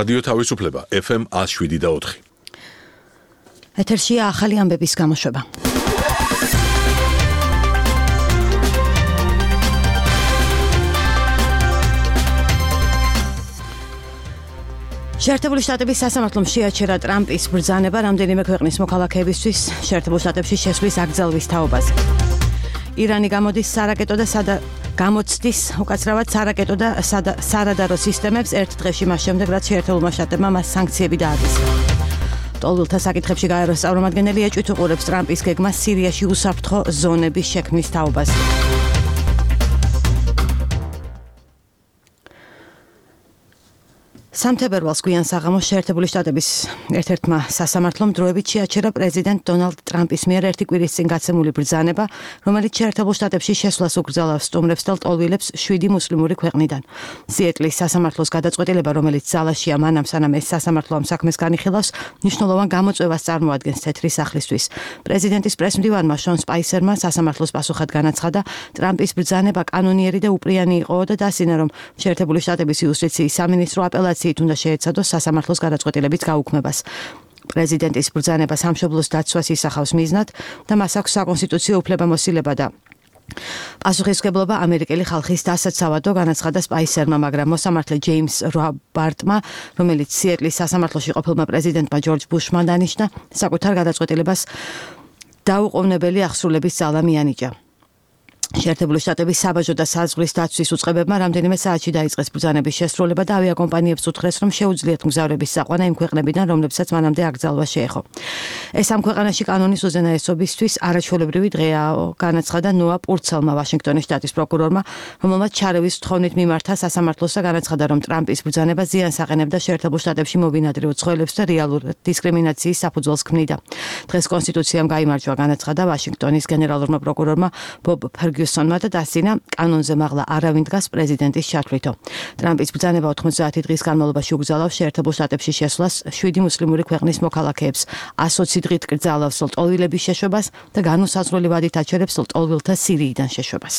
რადიო თავისუფლება FM 107.4. ეთერშია ახალი ამბების გამოშვება. შეერთებული შტატების სასამართლომ შეაჩერა ტრამპის ბრძანება რამდენიმე ქვეყნის მოქალაქეებისთვის შეერთებულ შტატებში შესვლის აკრძალვის თაობაზე. ირანი გამოდის სარაკეტო და გამოცდის უკაცრავად სარაკეტო და სარადარო სისტემებს ერთ დღეში მას შემდეგ, რაც შეერთებულმა შტატებმა მას სანქციები დაადასტურა. ტოლვილთა საკითხებში გაეროს წარმომადგენელი ეჭვით უყურებს ტრამპის გეგმას სირიაში უსაფრთხო ზონების შექმნის თაობაზე. სამთებერვალს გვიან საღამოს შეერთებული შტატების ერთ-ერთმა სასამართლომ დროებით შეაჩერა პრეზიდენტ დონალდ ტრამპის მიერ ერთი კვირის წინ გაცემული ბრძანება, რომელიც შეერთებულ შტატებში შესვლას უკრძალავს სტუმრებს და ლტოლვილებს 7 მუსლიმური ქვეყნიდან. სიეტლის სასამართლოს გადაწყვეტილება, რომელიც ძალაშია მანამ სანამ ეს სასამართლო ამ საქმეს განიხილავს, მნიშვნელოვან გამოწვევას წარმოადგენს თეთრი სახლისთვის. პრეზიდენტის პრესმდივანმა შონ სპაისერმა სასამართლოს პასუხად განაცხადა, ტრამპის ბრძანება კანონიერი და უპრიანი იყო და დასინა, რომ შეერთებული შტატების იუსტიციის სამინისტრო აპელაციით უნდა შეეცადოს სასამართლოს გადაწყვეტილებით გაუქმებას. პრეზიდენტის ბრძანება სამშობლოს დაცვას ისახავს მიზნად და მას აქვს საკონსტიტუციო უფლებამოსილება და პასუხისმგებლობა ამერიკელი ხალხის დასაცავად, განაცხადა სპაისერმა, მაგრამ მოსამართლე ჯეიმს რობარტმა, რომელიც სიეტლის სასამართლოში ყოფილმა პრეზიდენტმა ჯორჯ ბუშმა დანიშნა, საკუთარ გადაწყვეტილებას დაუყოვნებელი აღსრულების ძალა მიანიჭა. შეერთებული შტატების საბაჟო და საზღვრის დაცვის უწყებებმა რამდენიმე საათში დაიწყეს ბრძანების შესრულება და ავიაკომპანიებს უთხრეს, რომ შეუძლიათ მგზავრების საყვანა იმ ქვეყნებიდან, რომლებსაც მანამდე აკრძალვა შეეხო. ეს ამ ქვეყანაში კანონის უზენაესობისთვის არაჩვეულებრივი დღეა, განაცხადა ნოა პურცელმა, ვაშინგტონის შტატის პროკურორმა, რომელმაც ჩარევის თხოვნით მიმართა სასამართლოს და განაცხადა, რომ ტრამპის ბრძანება ზიანს აყენებდა შეერთებულ შტატებში მობინადრე უცხოელებს და რეალურ დისკრიმინაციის საფუძველს ქმნიდა. დღეს კონსტიტუციამ გაიმარჯვა, განაცხადა ვაშინგტონის გენერალურმა პროკურორმა ბობ ფერგიუსონმა და დასინა, კანონზე მაღლა არავინ დგას პრეზიდენტის ჩათვლითო. ტრამპის ბრძანება 90 დღის განმავლობაში უკრძალავს შეერთებულ შტატებში შესვლას 7 მუსლიმური ქვეყნის მოქალაქეებს, 120 დღით კრძალავს ლტოლვილების შეშვებას და განუსაზღვრელი ვადით აჩერებს ლტოლვილთა სირიიდან შეშვებას.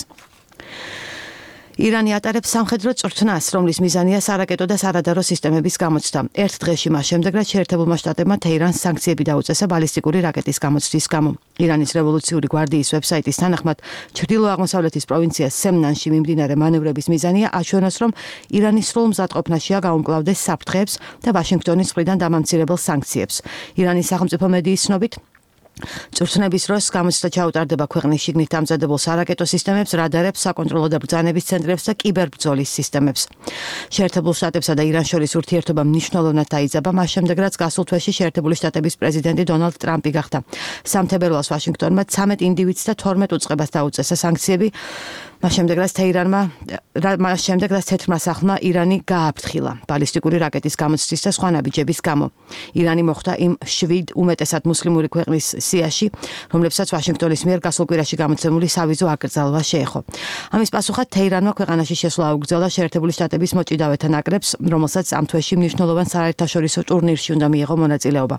ირანი ატარებს სამხედრო წვრთნას, რომლის მიზანია სარაკეტო და სარადარო სისტემების გამოცდა. ერთ დღეში მას შემდეგ, რაც შეერთებულმა შტატებმა თეირანს სანქციები დაუწესა ბალისტიკური რაკეტის გამოცდის გამო. ირანის რევოლუციური გვარდიის ვებსაიტის თანახმად, ჩრდილო-აღმოსავლეთის პროვინცია სემნანში მიმდინარე მანევრების მიზანია აჩვენოს, რომ ირანი სრულ მზადყოფნაშია გაუმკლავდეს საფრთხეებს და ვაშინგტონის მხრიდან დამამცირებელ სანქციებს. ირანის სახელმწიფო მედიის ცნობით, წვრთნების დროს გამოცდა ჩაუტარდება ქვეყნის შიგნით დამზადებულ სარაკეტო სისტემებს, რადარებს, საკონტროლო და ბრძანების ცენტრებს და კიბერბრძოლის სისტემებს. შეერთებულ შტატებსა და ირანს შორის ურთიერთობა მნიშვნელოვნად დაიძაბა მას შემდეგ, რაც გასულ თვეში შეერთებული შტატების პრეზიდენტი დონალდ ტრამპი გახდა. სამთებერვალს ვაშინგტონმა 13 ინდივიდს და 12 უწყებას დაუწესა სანქციები. მას შემდეგ, რაც თეთრმა სახლმა ირანი გააფრთხილა ბალისტიკური რაკეტის გამოცდის და სხვა ნაბიჯების გამო. ირანი მოხვდა იმ 7 უმეტესად მუსლიმური ქვეყნის სიაში, რომლებსაც ვაშინგტონის მიერ გასულ კვირაში გამოცემული სავიზო აკრძალვა შეეხო. ამის პასუხად თეირანმა ქვეყანაში შესვლა აუგრძელა შეერთებული შტატების მოჭიდავეთა ნაკრებს, რომელსაც ამ თვეში მნიშვნელოვან საერთაშორისო ტურნირში უნდა მიიღო მონაწილეობა.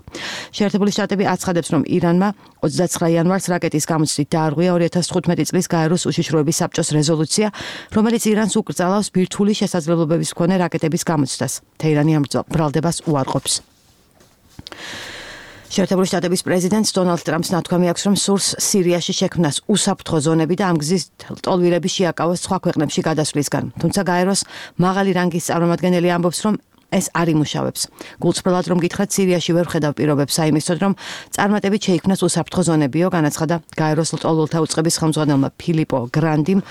შეერთებული შტატები აცხადებს, რომ ირანმა 29 იანვარს რაკეტის გამოცდით დაარღვია 2015 წლის გაეროს უშიშროების საბჭოს რეზოლუცია, რომელიც ირანს უკრძალავს ბირთვული შესაძლებლობების მქონე რაკეტების გამოცდას. თეირანი ამ ბრალდებას უარყოფს. შეერთებული შტატების პრეზიდენტს დონალდ ტრამპს ნათქვამი აქვს, რომ სურს სირიაში შექმნას უსაფრთხო ზონები და ამ გზით ლტოლვილები შეაკავოს სხვა ქვეყნებში გადასვლისგან. თუმცა გაეროს მაღალი რანგის წარმომადგენელი ამბობს, რომ ეს არ იმუშავებს. გულწრფელად რომ გითხრათ, სირიაში ვერ ხედავ პირობებს საიმისოდ, რომ წარმატებით შეიქმნას უსაფრთხო ზონებიო, განაცხადა გაეროს ლტოლვილთა უწყების ხელმძღვანელმა ფილიპო გრანდიმ.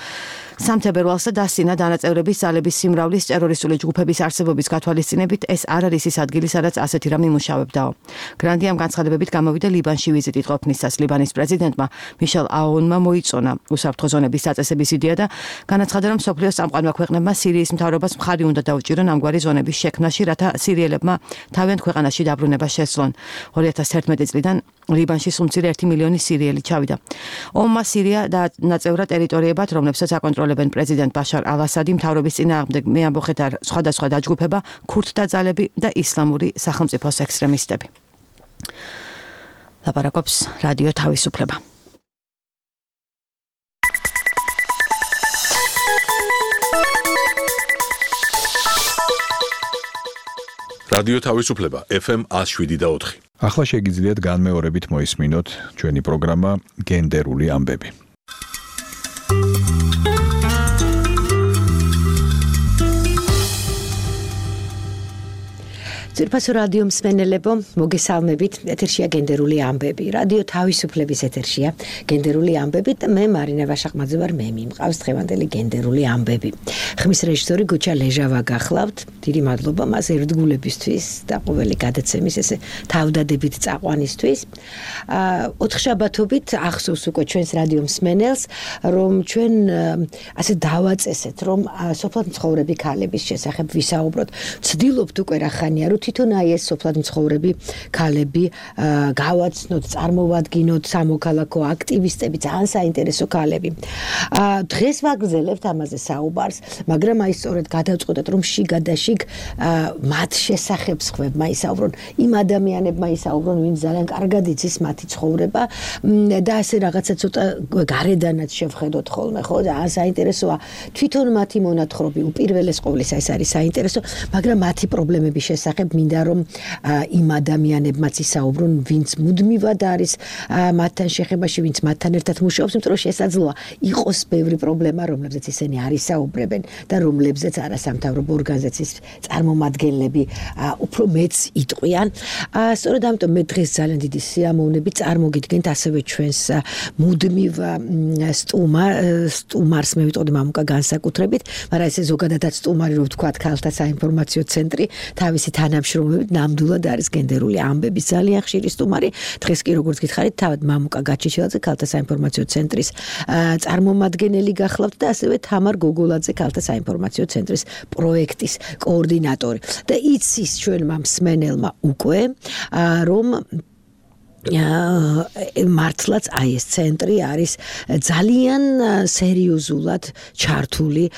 სამთებერვალს და დასინა დანაწევრების ძალების სიმრავლის ტერორისტული ჯგუფების არსებობის გათვალისწინებით, ეს არ არის ის ადგილი, სადაც ასეთი რამ იმუშავებდაო. გრანდიმ განცხადებებით გამოვიდა ლიბანში ვიზიტით ყოფნისას. ლიბანის პრეზიდენტმა მიშელ აუნმა მოიწონა უსაფრთხო ზონების დაწესების იდეა და განაცხადა, რომ მსოფლიოს წამყვანმა ქვეყნებმა სირიის მთავრობას მხარი უნდა დაუჭირონ ამგვარი ზონების შექმნაში, რათა სირიელებმა თავიანთ ქვეყანაში დაბრუნება შესძლონ. 2011 წლიდან ლიბანში სულ მცირე 1 მილიონი სირიელი ჩავიდა. ომმა სირია დანაწევრა ტერიტორიებად, რომლებსაც აკონტროლებენ პრეზიდენტ ბაშარ ალ-ასადი, მთავრობის წინააღმდეგ მეამბოხეთ სხვადასხვა დაჯგუფება, ქურთთა ძალები და ისლამური სახელმწიფოს ექსტრემისტები. ლაპარაკობს რადიო თავისუფლება. რადიო თავისუფლება FM 107.4. ახლა შეგიძლიათ განმეორებით მოისმინოთ ჩვენი პროგრამა გენდერული ამბები. ძვირფასო რადიო მსმენელებო, მოგესალმებით. ეთერშია გენდერული ამბები. რადიო თავისუფლების ეთერშია გენდერული ამბები და მე მარინა ვაშახმაძე ვარ, მე მიმყავს დღევანდელი გენდერული ამბები. ხმის რეჟისორი გუჩა ლეჟავა გახლავთ. დიდი მადლობა მას ერთგულებისთვის და ყოველი გადაცემის ესე თავდადებით წაყვანისთვის. 4 შაბათობით ახსოვს უკვე ჩვენს რადიო მსმენელს, რომ ჩვენ ასე დავაწესეთ, რომ სოფლად მცხოვრები ქალების შესახებ ვისაუბროთ. ვცდილობთ უკვე რა ხანია, რომ თვითონ აი ეს სოფლად მცხოვრები ქალები გავაცნოთ, წარმოვადგინოთ სამოქალაქო აქტივისტები, ძალიან საინტერესო ქალები. დღეს ვაგრძელებთ ამაზე საუბარს, მაგრამ აი სწორედ გადავწყვეტეთ, რომ შიგადაშიგ მათ შესახებ სხვებმა ისაუბრონ, იმ ადამიანებმა ისაუბრონ, ვინც ძალიან კარგად იცის მათი ცხოვრება და ასე რაღაცა ცოტა გარედანაც შევხედოთ ხოლმე, ხო? ძალიან საინტერესოა თვითონ მათი მონათხრობი, უპირველეს ყოვლისა ეს არის საინტერესო, მაგრამ მათი პრობლემების შესახებ მინდა რომ იმ ადამიანებმაც ისაუბრონ, ვინც მუდმივად არის მათთან შეხებაში, ვინც მათთან ერთად მუშაობს, იმიტომ რომ შესაძლოა იყოს ბევრი პრობლემა, რომლებზეც ისინი არ ისაუბრებენ და რომლებზეც არასამთავრობო ორგანიზაციის წარმომადგენლები უფრო მეც იტყვიან. სწორედ ამიტომ მე დღეს ძალიან დიდი სიამოვნებით წარმოგიდგენთ ასევე ჩვენს მუდმივ სტუმარს, მე ვიტყოდი მამუკა განსაკუთრებით, მაგრამ ესე ზოგადადაც სტუმარი რო ვთქვათ, ქალთა საინფორმაციო ცენტრი თავისი თანამშრომლობით ნამდვილად არის გენდერული ამბების ძალიან ხშირი სტუმარი. დღეს კი როგორც გითხარით, თავად მამუკა გაჩიჩილაძე ქალთა საინფორმაციო ცენტრის წარმომადგენელი გახლავთ და ასევე თამარ გოგოლაძე ქალთა საინფორმაციო ცენტრის პროექტის კოორდინატორი. და იცის ჩვენმა მსმენელმა უკვე რომ მართლაც აი ეს ცენტრი არის ძალიან სერიოზულად ჩართული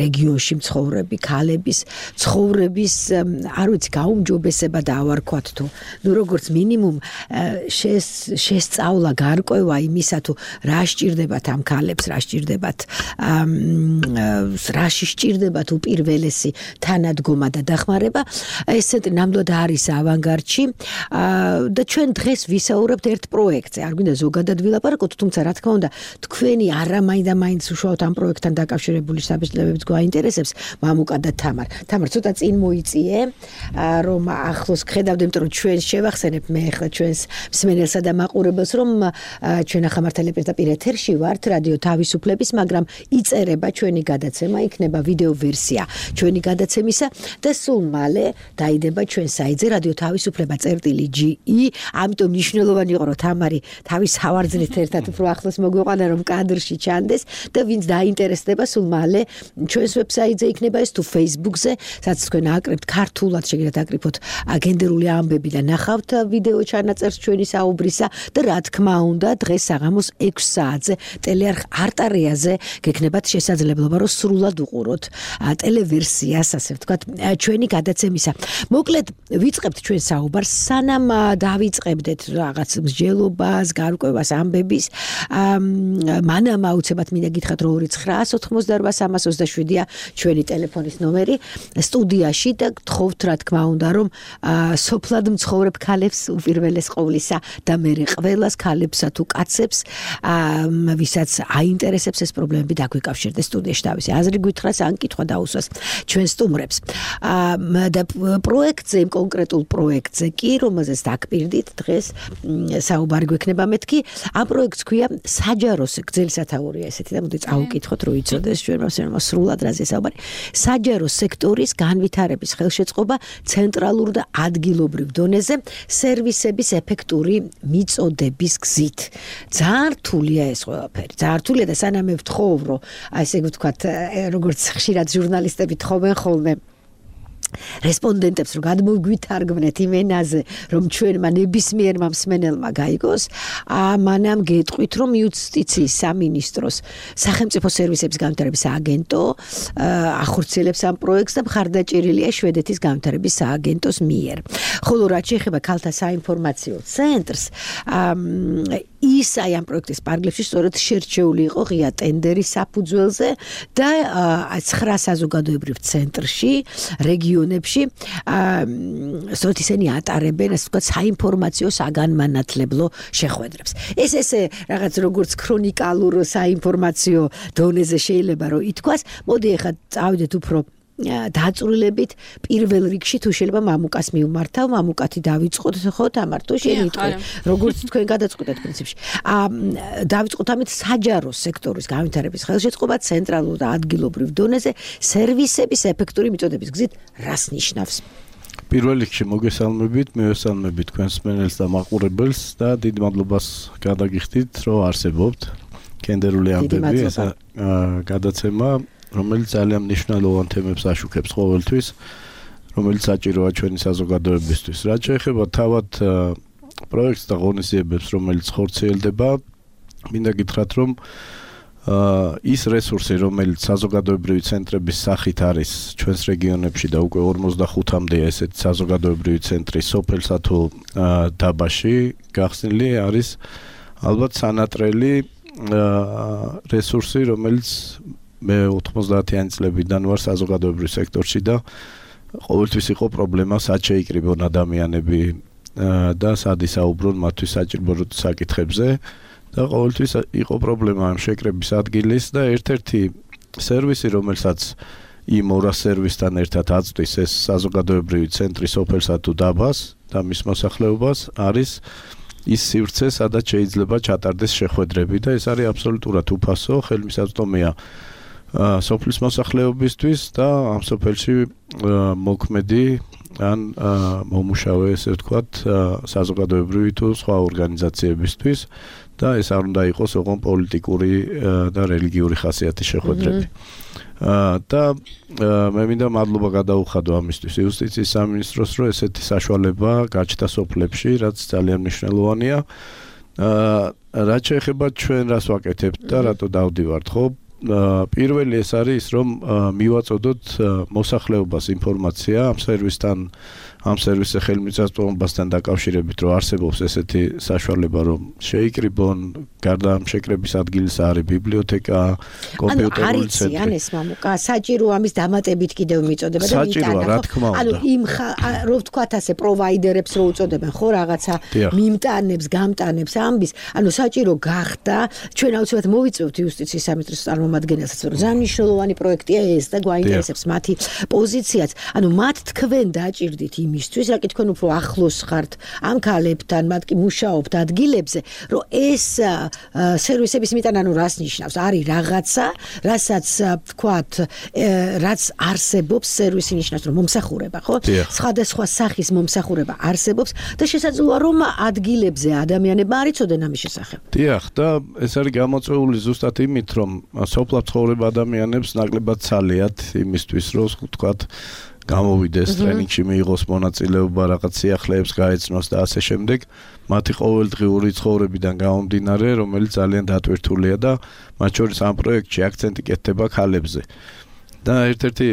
რეგიონში მცხოვრები ქალების ცხოვრების, არ ვიცი, გაუმჯობესება დავარქვათ თუ ნუ როგორც მინიმუმ შესწავლა, გარკვევა იმისა თუ რა სჭირდებათ ამ ქალებს, რა სჭირდებათ რაში სჭირდებათ უპირველესი თანადგომა და დახმარება. ეს ცენტრი ნამდვილად არის ავანგარდში და ჩვენ დღეს ვისაუბრებთ ერთ პროექტზე. არ გვინდა ზოგადად ვილაპარაკოთ, თუმცა რა თქმა უნდა, თქვენი არამაინც უშუალოდ ამ პროექტთან დაკავშირებული საბჭოებიც გვაინტერესებს, მამუკა და თამარ. თამარ, ცოტა წინ მოიწიე, რომ ახლოს გხედავდე, იმიტომ რომ ჩვენ შევახსენებ მე ახლა ჩვენს მსმენელსა და მაყურებელს, რომ ჩვენ ახამართელი პირდაპირ ეთერში ვართ რადიო თავისუფლების, მაგრამ იწერება ჩვენი გადაცემა, იქნება ვიდეო ვერსია ჩვენი გადაცემისა და სულ მალე დაიდება ჩვენ საიტზე რადიო თავისუფლება.ge. ამიტომ მნიშვნელოვანი იყო, რომ თამარი თავის ავარძნით ერთად უფრო ახლოს მოგვიყვანა, რომ კადრში ჩანდეს და ვინც დაინტერესდება, სულ მალე ჩვენს ვებსაიტზე იქნება ეს თუ Facebook-ზე, სადაც თქვენ აკრებთ ქართულად, შეგიძლიათ აკრიფოთ გენდერული ამბები და ნახავთ ვიდეო ჩანაწერს ჩვენი საუბრისა და რა თქმა უნდა, დღეს საღამოს 6 საათზე ტელეარხ არტარიაზე გექნებათ შესაძლებლობა, რომ სრულად უყუროთ ტელევერსიას, ასე ვთქვათ, ჩვენი გადაცემისა. მოკლედ ვიწყებთ ჩვენ საუბარს, სანამ დავიწყებდეთ რაღაც მსჯელობას, გარკვევას, ამბების. მანამ აუცილებლად მინდა გითხრათ, რომ 29988-327-ია ჩვენი ტელეფონის ნომერი სტუდიაში და გთხოვთ რა თქმა უნდა, რომ სოფლად მცხოვრებ ქალებს უპირველეს ყოვლისა და მერე ყველას ქალებსა თუ კაცებს, ვისაც აინტერესებს ეს პრობლემები, დაგვიკავშირდეს სტუდიაში თავისი აზრი გითხრას ან კითხვა დაუსვას ჩვენ სტუმრებს. და პროექტზე, კონკრეტულ პროექტზე კი, რომელზეც დაგპირდით დღეს საუბარი გვექნება მეთქი, ამ პროექტს ქვია საჯარო გრძელი სათაურია ესეთი და მოდი წავუკითხოთ, რომ იცოდეს ჩვენმა სრულად რაზე საუბარი. საჯარო სექტორის განვითარების ხელშეწყობა ცენტრალურ და ადგილობრივ დონეზე სერვისების ეფექტური მიწოდების გზით. ძალიან რთულია ეს ყველაფერი. ძალიან რთულია და სანამ მე ვთხოვ, რომ ესე ვთქვათ, როგორც ხშირად ჟურნალისტები თხოვენ ხოლმე რესპონდენტებს რომ გადმოგვითარგმნეთ იმ ენაზე, რომ ჩვენმა ნებისმიერმა მსმენელმა გაიგოს, მანამ გეტყვით, რომ იუსტიციის სამინისტროს სახელმწიფო სერვისების განვითარების სააგენტო ახორციელებს ამ პროექტს და მხარდაჭერილია შვედეთის განვითარების სააგენტოს მიერ. ხოლო რაც შეეხება ქალთა საინფორმაციო ცენტრს, ის აი ამ პროექტის პარკლებში სწორედ შერჩეული იყო ღია ტენდერის საფუძველზე და 9 საზოგადოებრივ ცენტრში, რეგიონებში სწორედ ისინი ატარებენ, ასე ვთქვათ, საინფორმაციო საგანმანათლებლო შეხვედრებს. ეს რაღაც როგორც ქრონიკალურ საინფორმაციო დონეზე შეიძლება რომ ითქვას, მოდი ახლა წავიდეთ უფრო დაწვრილებით პირველ რიგში თუ შეიძლება მამუკას მივმართავ, მამუკათი დავიწყოთ ხო თამარ თუ შენ იტყვი როგორც თქვენ გადაწყვეტეთ პრინციპში დავიწყოთ ამით საჯარო სექტორის განვითარების ხელშეწყობა ცენტრალურ და ადგილობრივ დონეზე სერვისების ეფექტური მიწოდების გზით რას ნიშნავს? პირველ რიგში მოგესალმებით, მივესალმებით თქვენს მსმენელს და მაყურებელს და დიდ მადლობას გადაგიხდით, რომ არსებობთ კენდერული ამბები, ეს გადაცემა რომელიც ძალიან მნიშვნელოვან თემებს აშუქებს ყოველთვის, რომელიც საჭიროა ჩვენი საზოგადოებისთვის. რაც შეეხება თავად პროექტს და ღონისძიებებს, რომელიც ხორციელდება, მინდა გითხრათ, რომ ის რესურსი, რომელიც საზოგადოებრივი ცენტრების სახით არის ჩვენს რეგიონებში და უკვე 45-მდე ესეთი საზოგადოებრივი ცენტრი სოფელსა თუ დაბაში გახსნილი არის ალბათ სანატრელი რესურსი, რომელიც მე 90-იანი წლებიდან ვარ საზოგადოებრივ სექტორში და ყოველთვის იყო პრობლემა სად შეიკრიბონ ადამიანები და სად ისაუბრონ მათთვის საჭირო საკითხებზე და ყოველთვის იყო პრობლემა ამ შეკრების ადგილის და ერთ-ერთი სერვისი, რომელსაც იმ 200 სერვისთან ერთად აწვდის ეს საზოგადოებრივი ცენტრი სოფელსა თუ დაბას და მის მოსახლეობას არის ის სივრცე, სადაც შეიძლება ჩატარდეს შეხვედრები და ეს არის აბსოლუტურად უფასო, ხელმისაწვდომია სოფლის მოსახლეობისთვის და ამ სოფელში მოქმედი ან მომუშავე, ესე ვთქვათ, საზოგადოებრივი თუ სხვა ორგანიზაციებისთვის და ეს არ უნდა იყოს ოღონდ პოლიტიკური და რელიგიური ხასიათის შეხვედრები. და მე მინდა მადლობა გადაუხადო ამისთვის იუსტიციის სამინისტროს, რომ ესეთი საშუალება გაჩნდა სოფლებში, რაც ძალიან მნიშვნელოვანია. რაც შეეხება ჩვენ რას ვაკეთებთ და რატო დავდივართ, ხო? პირველი ეს არის ის, რომ მივაწოდოთ მოსახლეობას ინფორმაცია ამ სერვისზე ხელმისაწვდომობასთან დაკავშირებით, რომ არსებობს ესეთი საშუალება, რომ შეიკრიბონ, გარდა ამ შეკრების ადგილის არის ბიბლიოთეკა, კომპიუტერული ცენტრი. ან ეს მამუკა, საჭირო ამის დამატებით კიდევ მიწოდება და მიტანა, ხო? ანუ იმ რო ვთქვათ ასე პროვაიდერებს რო უწოდებენ, ხო, რაღაცა მიმტანებს, გამტანებს ამბის, ანუ საჭირო გახდა, ჩვენ აუცილებლად მოვიწევთ იუსტიციის სამინისტროს წარმომადგენელსაც, რომ ძალიან მნიშვნელოვანი პროექტია ეს და გვაინტერესებს მათი პოზიციაც. ანუ მათ თქვენ დაჭირდით იმისთვის, რა კი თქვენ უფრო ახლოს ხართ ამ ქალებთან, მათ კი მუშაობთ ადგილებზე, რომ ეს სერვისების მიტანა ანუ რას ნიშნავს? არის რაღაცა, რასაც ვთქვათ, რაც არსებობს, სერვისი ნიშნავს, რომ მომსახურება, ხო? სხვადასხვა სახის მომსახურება არსებობს და შესაძლოა რომ ადგილებზე ადამიანებმა არ იცოდნენ ამის შესახებ. დიახ, და ეს არის გამოწვეული ზუსტად იმით, რომ სოფლად ცხოვრება ადამიანებს ნაკლებად ცალიათ იმისთვის, რომ ვთქვათ გამოვიდეს ტრენინგში მიიღოს მონაწილეობა, რაღაც სიახლეებს გაეცნოს და ასე შემდეგ. მათი ყოველდღიური ცხოვრებიდან გამომდინარე, რომელიც ძალიან დატვირთულია და მათ შორის ამ პროექტში აქცენტი კეთდება ქალებზე. და ერთ-ერთი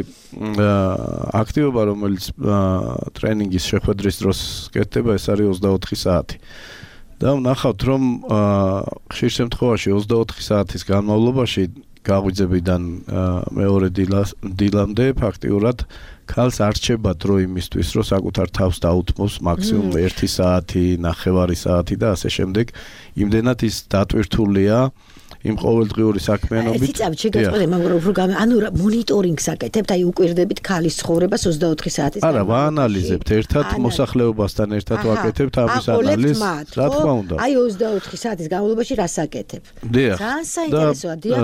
აქტივობა, რომელიც ტრენინგის შეხვედრის დროს კეთდება, ეს არის 24 საათი. და ვნახავთ, რომ ხშირ შემთხვევაში 24 საათის განმავლობაში გაღვიძებიდან მეორე დილამდე ფაქტიურად ქალს არ რჩება დრო იმისთვის, რომ საკუთარ თავს დაუთმოს მაქსიმუმ 1 საათი, 9 საათი და ასე შემდეგ. იმდენად ის დატვირთულია იმ ყოველდღიური საქმიანობით. ციცაბ შეგაწყვეტე, მაგრამ ანუ მონიტორინგს აკეთებთ, აი უკვირდებით ქალის ცხოვრებას 24 საათის. არა, ვაანალიზებთ ერთად მოსახლეობასთან ერთად ვაკეთებთ ამის ანალიზს, რა თქმა უნდა. აი 24 საათის განმავლობაში რას აკეთებ? ძალიან საინტერესოა, დიახ.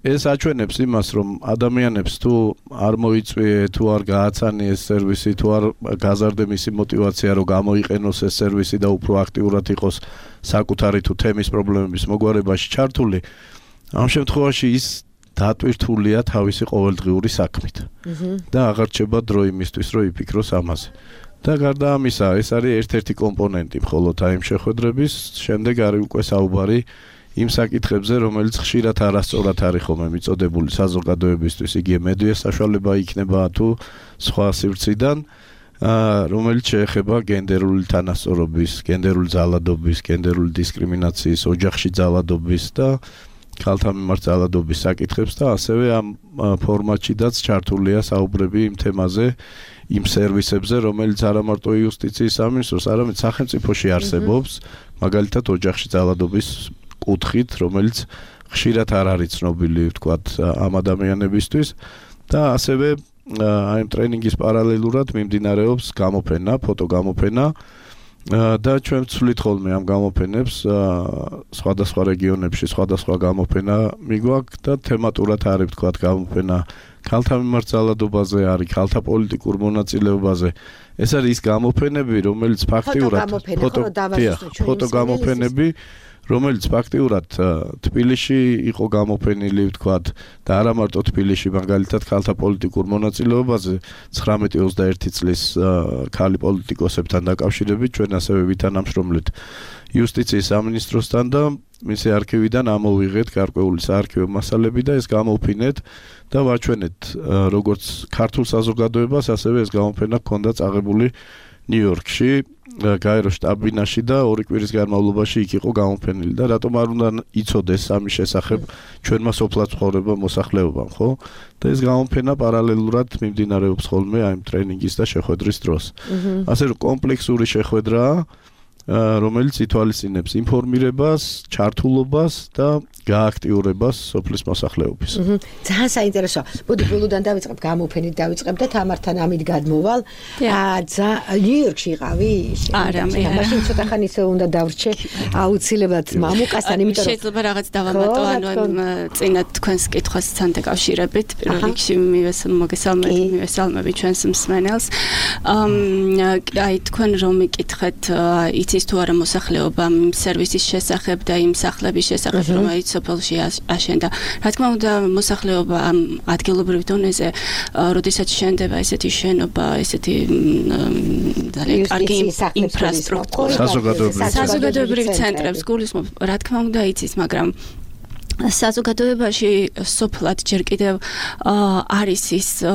ეს აჩვენებს იმას, რომ ადამიანებს თუ არ მოიწვიე, თუ არ გააცანიეს სერვისი, თუ არ გაზარდე მისი мотиваცია, რომ გამოიყენოს ეს სერვისი და უფრო აქტიურად იყოს საკუთარი თუ თემის პრობლემების მოგვარებაში ჩართული, ამ შემთხვევაში ის დატვირთულია თავისი ყოველდღიური საქმით. და აღარ რჩება დრო იმისთვის, რომ იფიქროს ამაზე. და გარდა ამისა, ეს არის ერთ-ერთი კომპონენტი მხოლოდ აი იმ შეხვედრების, შემდეგ არის უკვე საუბარი იმ საკითხებზე, რომელიც ხშირად არასწორად არის ხოლმე მიწოდებული საზოგადოებისთვის, იგივე მედია საშუალება იქნება თუ სხვა სივრციდან რომელიც შეეხება გენდერული თანასწორობის, გენდერული ძალადობის, გენდერული დისკრიმინაციის, ოჯახში ძალადობის და ქალთა მიმართ ძალადობის საკითხებს და ასევე ამ ფორმატშიდაც ჩართულია საუბრები იმ თემაზე, იმ სერვისებზე, რომელიც არა მარტო იუსტიციის სამინისტროს, არამედ სახელმწიფოში არსებობს, მაგალითად ოჯახში ძალადობის კუთხით, რომელიც ხშირად არ არის ცნობილი, ვთქვათ, ამ ადამიანებისთვის და ასევე აი ტრენინგის პარალელურად მიმდინარეობს გამოფენა, ფოტოგამოფენა და ჩვენ ვცვლით ხოლმე ამ გამოფენებს სხვადასხვა რეგიონებში, სხვადასხვა გამოფენა მიგვაქვს და თემატურად არის ვთქვათ გამოფენა ქალთა მიმართ ძალადობაზე, არის ქალთა პოლიტიკურ მონაწილეობაზე. ეს არის ის გამოფენები, რომელიც ფაქტიურად ფოტოგამოფენები რომელიც ფაქტიურად თბილისში იყო გამოფენილი, ვთქვათ, და არა მარტო თბილისში, მაგალითად, ქალთა პოლიტიკურ მონაწილეობაზე 19-21 წლის ქალი პოლიტიკოსებთან დაკავშირებით ჩვენ ასევე ვითანამშრომლეთ იუსტიციის სამინისტროსთან და მისი არქივიდან ამოვიღეთ გარკვეული საარქივო მასალები და ეს გამოვფინეთ და ვაჩვენეთ როგორც ქართულ საზოგადოებას, ასევე ეს გამოფენა ჰქონდა წაღებული ნიუ-იორკში, გაერო შტაბ-ბინაში და 2 კვირის განმავლობაში იქ იყო გამოფენილი და რატომ არ უნდა იცოდეს ამის შესახებ ჩვენმა სოფლად ცხოვრება მოსახლეობამ, ხო? და ეს გამოფენა პარალელურად მიმდინარეობს ხოლმე აი ტრენინგის და შეხვედრის დროს. ასე რომ კომპლექსური შეხვედრაა, რომელიც ითვალისწინებს ინფორმირებას, ჩართულობას და გააქტიურებას სოფლის მოსახლეობის. ძალიან საინტერესოა. მოდი ბოლოდან დავიწყებ, გამოფენით დავიწყებ და თამართან ამით გადმოვალ. ნიუ-იორკში იყავი? არა, მე არა. მაშინ ცოტა ხანი ისე უნდა დავრჩე აუცილებლად მამუკასთან, იმიტომ რომ შეიძლება რაღაც დავამატო, ანუ წინათ თქვენს კითხვასთან დაკავშირებით, პირველ რიგში მივესალმები ჩვენს მსმენელს. აი თქვენ რომ მიკითხეთ იცის თუ არა მოსახლეობა სერვისის შესახებ და იმ სახლების შესახებ, რომელიც სოფელში აშენდა. რა თქმა უნდა, მოსახლეობა ამ ადგილობრივ დონეზე, როდესაც შენდება ესეთი შენობა, ესეთი ძალიან კარგი ინფრასტრუქტურა, საზოგადოებრივ ცენტრებს გულისხმობ, რა თქმა უნდა იცის, მაგრამ საზოგადოებაში სოფლად ჯერ კიდევ არის ის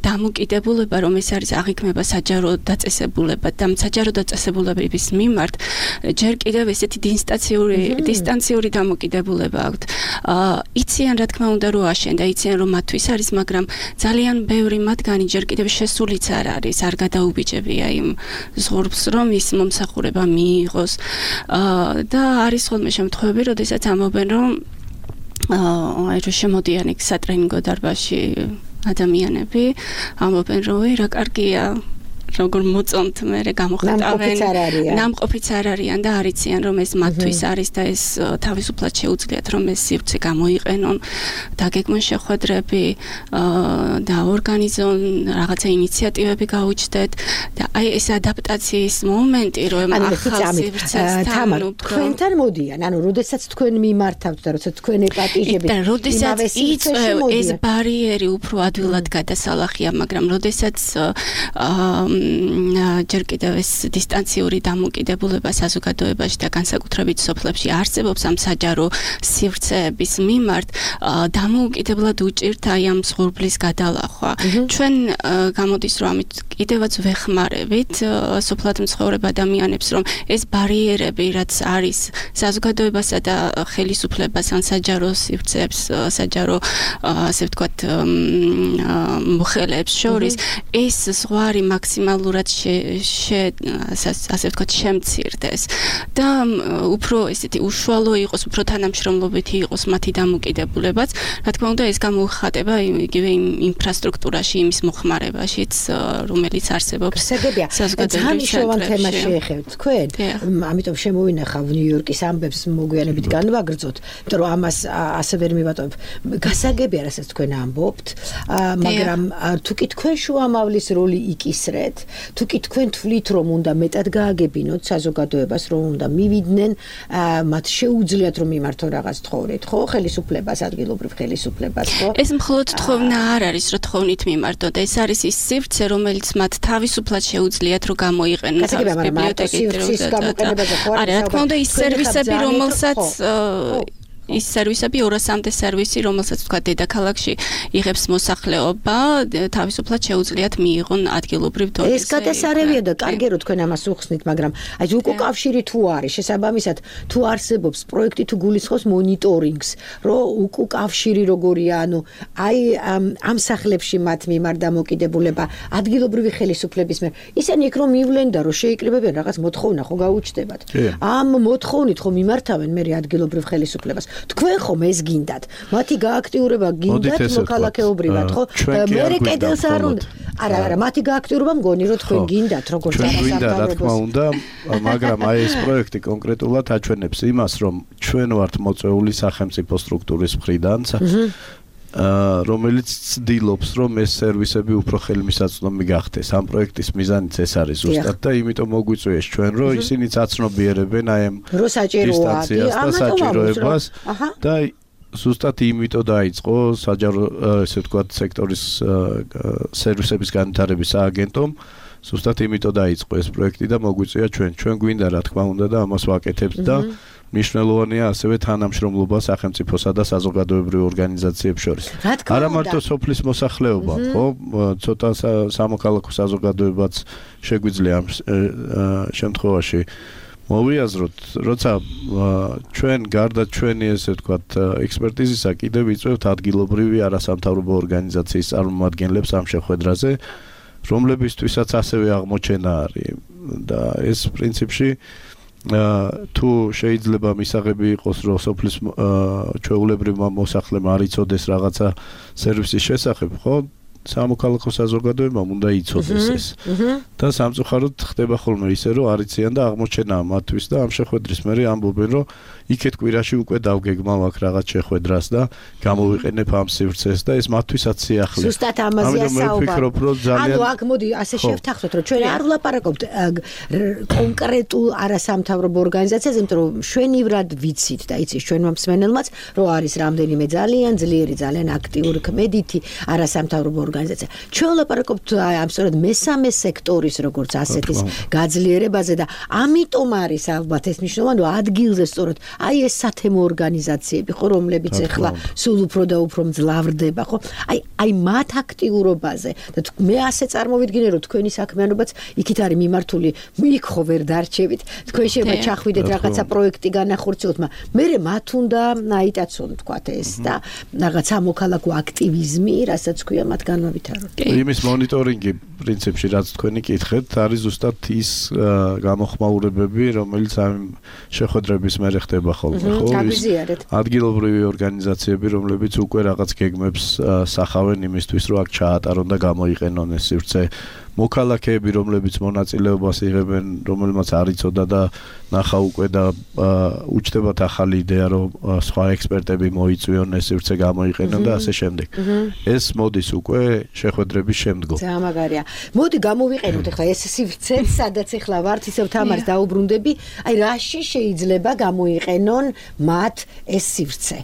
დამოკიდებულება, რომ ეს არის აღიქმება საჯარო დაწესებულება და საჯარო დაწესებულების მიმართ ჯერ კიდევ ესეთი დისტანციური დამოკიდებულება აქვთ. იციან რა თქმა უნდა რომ აშენდა, იციან რომ მათთვის არის, მაგრამ ძალიან ბევრი მათგანი ჯერ კიდევ შესულიც არ არის, არ გადაუბიჯებია იმ ზღურბს, რომ ის მომსახურება მიიღოს და არის ხოლმე შემთხვევები, როდესაც ამბობენ, რომ აი რომ შემოდიან იქ სატრენინგო დარბაზში ადამიანები, ამბობენ რომ რა კარგია, როგორ მოწონთ მე გამოხატავენ, ნამყოფიც არ არიან და არიციან რომ ეს მათთვის არის და ეს თავისუფლად შეუძლიათ რომ ეს სივრცე გამოიყენონ, დაგეგმონ შეხვედრები და ორგანიზონ რაღაცა ინიციატივები გაუჩნდეთ და აი ეს ადაპტაციის მომენტი რომ ახალ სივრცესთან თქვენთან მოდიან, ანუ როდესაც თქვენ მიმართავთ და როდესაც თქვენ ეპატიჟებით, და როდესაც იწევ ეს ბარიერი უფრო ადვილად გადასალახია, მაგრამ როდესაც ჯერ კიდევ ეს დისტანციური დამოკიდებულება საზოგადოებაში და განსაკუთრებით სოფლებში არსებობს ამ საჯარო სივრცეების მიმართ, დამოუკიდებლად უჭირთ აი ამ ზღურბლის გადალახვა. ჩვენ გამოდის რომ ამით კიდევაც ვეხმარებით სოფლად მცხოვრებ ადამიანებს, რომ ეს ბარიერები, რაც არის საზოგადოებასა და ხელისუფლებას ან საჯარო სივრცეებს, საჯარო ასე ვთქვათ მოხელეებს შორის, ეს ზღვარი მაქსიმალურად ასე ვთქვათ შემცირდეს და უფრო ესეთი უშუალო იყოს, უფრო თანამშრომლობითი იყოს მათი დამოკიდებულებაც. რა თქმა უნდა, ეს გამოიხატება იგივე იმ ინფრასტრუქტურაში, იმის მოხმარებაშიც, რომელიც არსებობს საზოგადოებრივ ცენტრებში. შეეხებთ თქვენ, ამიტომ შემოვინახავ ნიუ-იორკის ამბებს მოგვიანებით განვაგრძოთ, იმიტომ რომ ამას ასე ვერ მივატოვებ. გასაგებია, რასაც თქვენ ამბობთ, მაგრამ თუ კი თქვენ შუამავლის როლი იკისრეთ, თუ კი თქვენ თვლით რომ უნდა მეტად გააგებინოთ საზოგადოებას, რომ უნდა მივიდნენ, მათ შეუძლიათ რომ მიმართონ რაღაც თხოვნით, ხო, ხელისუფლებას, ადგილობრივ ხელისუფლებას, ხო? ეს მხოლოდ თხოვნა არ არის, რომ თხოვნით მიმართოთ, ეს არის ის სივრცე, რომელიც მათ თავისუფლად შეუძლიათ რომ გამოიყენონ ბიბლიოთეკით. არა, რა თქმა უნდა, ის სერვისები, რომელსაც ის სერვისები 200-მდე სერვისი, რომელსაც თქვა დედაქალაქში იღებს მოსახლეობა, თავისუფლად შეუძლიათ მიიღონ ადგილობრივ დონეზე. ეს გადასარევია და კარგი რომ თქვენ ამას უხსნით, მაგრამ აი უკავშირი თუ არის, შესაბამისად თუ არსებობს პროექტი თუ გულისხმობს მონიტორინგს, რომ უკავშირი როგორია, ანუ აი ამ სახლებში მათ მიმართ დამოკიდებულება ადგილობრივი ხელისუფლების მიერ. ისინი იქ რომ მივლენ და რომ შეიკრიბებიან რაღაც მოთხოვნა ხო გაუჩნდებათ. ამ მოთხოვნით ხო მიმართავენ მე ადგილობრივ ხელისუფლებას. თქვენ ხომ ეს გინდათ? მათი გააქტიურება გინდათ მოქალაქეობრივად, ხო? მე კედელს არ უნდა. არა, მათი გააქტიურება მგონი რომ თქვენ გინდათ როგორც არასამთავრობოს. რა თქმა უნდა, მაგრამ აი ეს პროექტი კონკრეტულად აჩვენებს იმას, რომ ჩვენ ვართ მოწვეული სახელმწიფო სტრუქტურის მხრიდან, რომელიც ცდილობს, რომ ეს სერვისები უფრო ხელმისაწვდომი გახდეს. ამ პროექტის მიზანიც ეს არის ზუსტად და იმიტომ მოგვიწვიეს ჩვენ, რომ ისინიც აცნობიერებენ აი ამ დისტანციას და საჭიროებას და ზუსტად იმიტომ დაიწყო საჯარო ესე ვთქვათ სექტორის სერვისების განვითარების სააგენტომ ზუსტად იმიტომ დაიწყო ეს პროექტი და მოგვიწვია ჩვენ გვინდა რა თქმა უნდა და ამას ვაკეთებთ და მნიშვნელოვანია ასევე თანამშრომლობა სახელმწიფოსა და საზოგადოებრივ ორგანიზაციებს შორის. არა მარტო სოფლის მოსახლეობა, ხო? ცოტა სამოქალაქო საზოგადოებაც შეგვიძლია ამ შემთხვევაში მოვიაზროთ, როცა ჩვენ გარდა ჩვენი ესე ვთქვათ ექსპერტიზისა კიდევ ვიწვევთ ადგილობრივი არასამთავრობო ორგანიზაციის წარმომადგენლებს ამ შეხვედრაზე, რომლებისთვისაც ასევე აღმოჩენა არის და ეს პრინციპში თუ შეიძლება მისაღები იყოს რომ სოფლის ჩვეულებრივმა მოსახლემ არ იცოდეს რაღაცა სერვისის შესახებ, ხო? სამოქალაქო საზოგადოებამ უნდა იცოდეს ეს. და სამწუხაროდ ხდება ხოლმე ისე რომ არ იციან და აღმოჩენაა მათთვის და ამ შეხვედრის მერე ამბობენ რომ იქეთ კვირაში უკვე დავგეგმავ აქ რაღაც შეხვედრას და გამოვიყენებ ამ სივრცეს და ეს მათთვისაც სიახლე. ზუსტად ამაზეა საუბარი. ანუ აქ მოდი ასე შევთანხმდეთ რომ ჩვენ არ ვლაპარაკობთ კონკრეტულ არასამთავრობო ორგანიზაციაზე, იმიტომ რომ შვენივრად ვიცით და იცის ჩვენმა მსმენელმაც რომ არის რამდენიმე ძალიან ძლიერი, ძალიან აქტიური ქმედითი არასამთავრობო ორგანიზაცია. ჩვენ ვლაპარაკობთ ამ სწორედ მესამე სექტორის როგორც ასეთის გაძლიერებაზე და ამიტომ არის ალბათ ეს მნიშვნელოვანი რომ ადგილზე სწორედ აი ეს სათემო ორგანიზაციები ხო რომლებიც ახლა სულ უფრო და უფრო მძლავრდება ხო აი მათ აქტიურობაზე და მე ასე წარმოვიდგინე რომ თქვენი საქმიანობაც იქით არის მიმართული იქ ხო ვერ დარჩებით თქვენ შეიძლება ჩახვიდეთ რაღაცა პროექტი განახორციელოთ მაგრამ მე მათ უნდა აიტაცონ თქვა ეს და რაღაცა მოქალაქო აქტივიზმი რასაც ქვია მათ განავითაროთ იმის მონიტორინგი პრინციპში რაც თქვენი კითხეთ არის ზუსტად ის გამოხმაურებები რომელიც ამ შეხვედრების მერე ხდება ხოლმე ხო ადგილობრივი ორგანიზაციები რომლებიც უკვე რაღაც გეგმებს სახავენ იმისთვის რომ აქ ჩაატარონ და გამოიყენონ ეს სივრცე მოქალაქეები რომლებიც მონაწილეობას იღებენ რომელმაც არ იცოდა და ნახა უკვე და უჩნდებათ ახალი იდეა რომ სხვა ექსპერტები მოიწვიონ ეს სივრცე გამოიყენონ და ასე შემდეგ ეს მოდის უკვე შეხვედრების შემდგომ ძალიან მაგარია მოდი გამოვიყენოთ ახლა ეს სივრცე სადაც ახლა ვართ ისევ თამარს დაუბრუნდები აი რაში შეიძლება გამოიყენონ მათ ეს სივრცე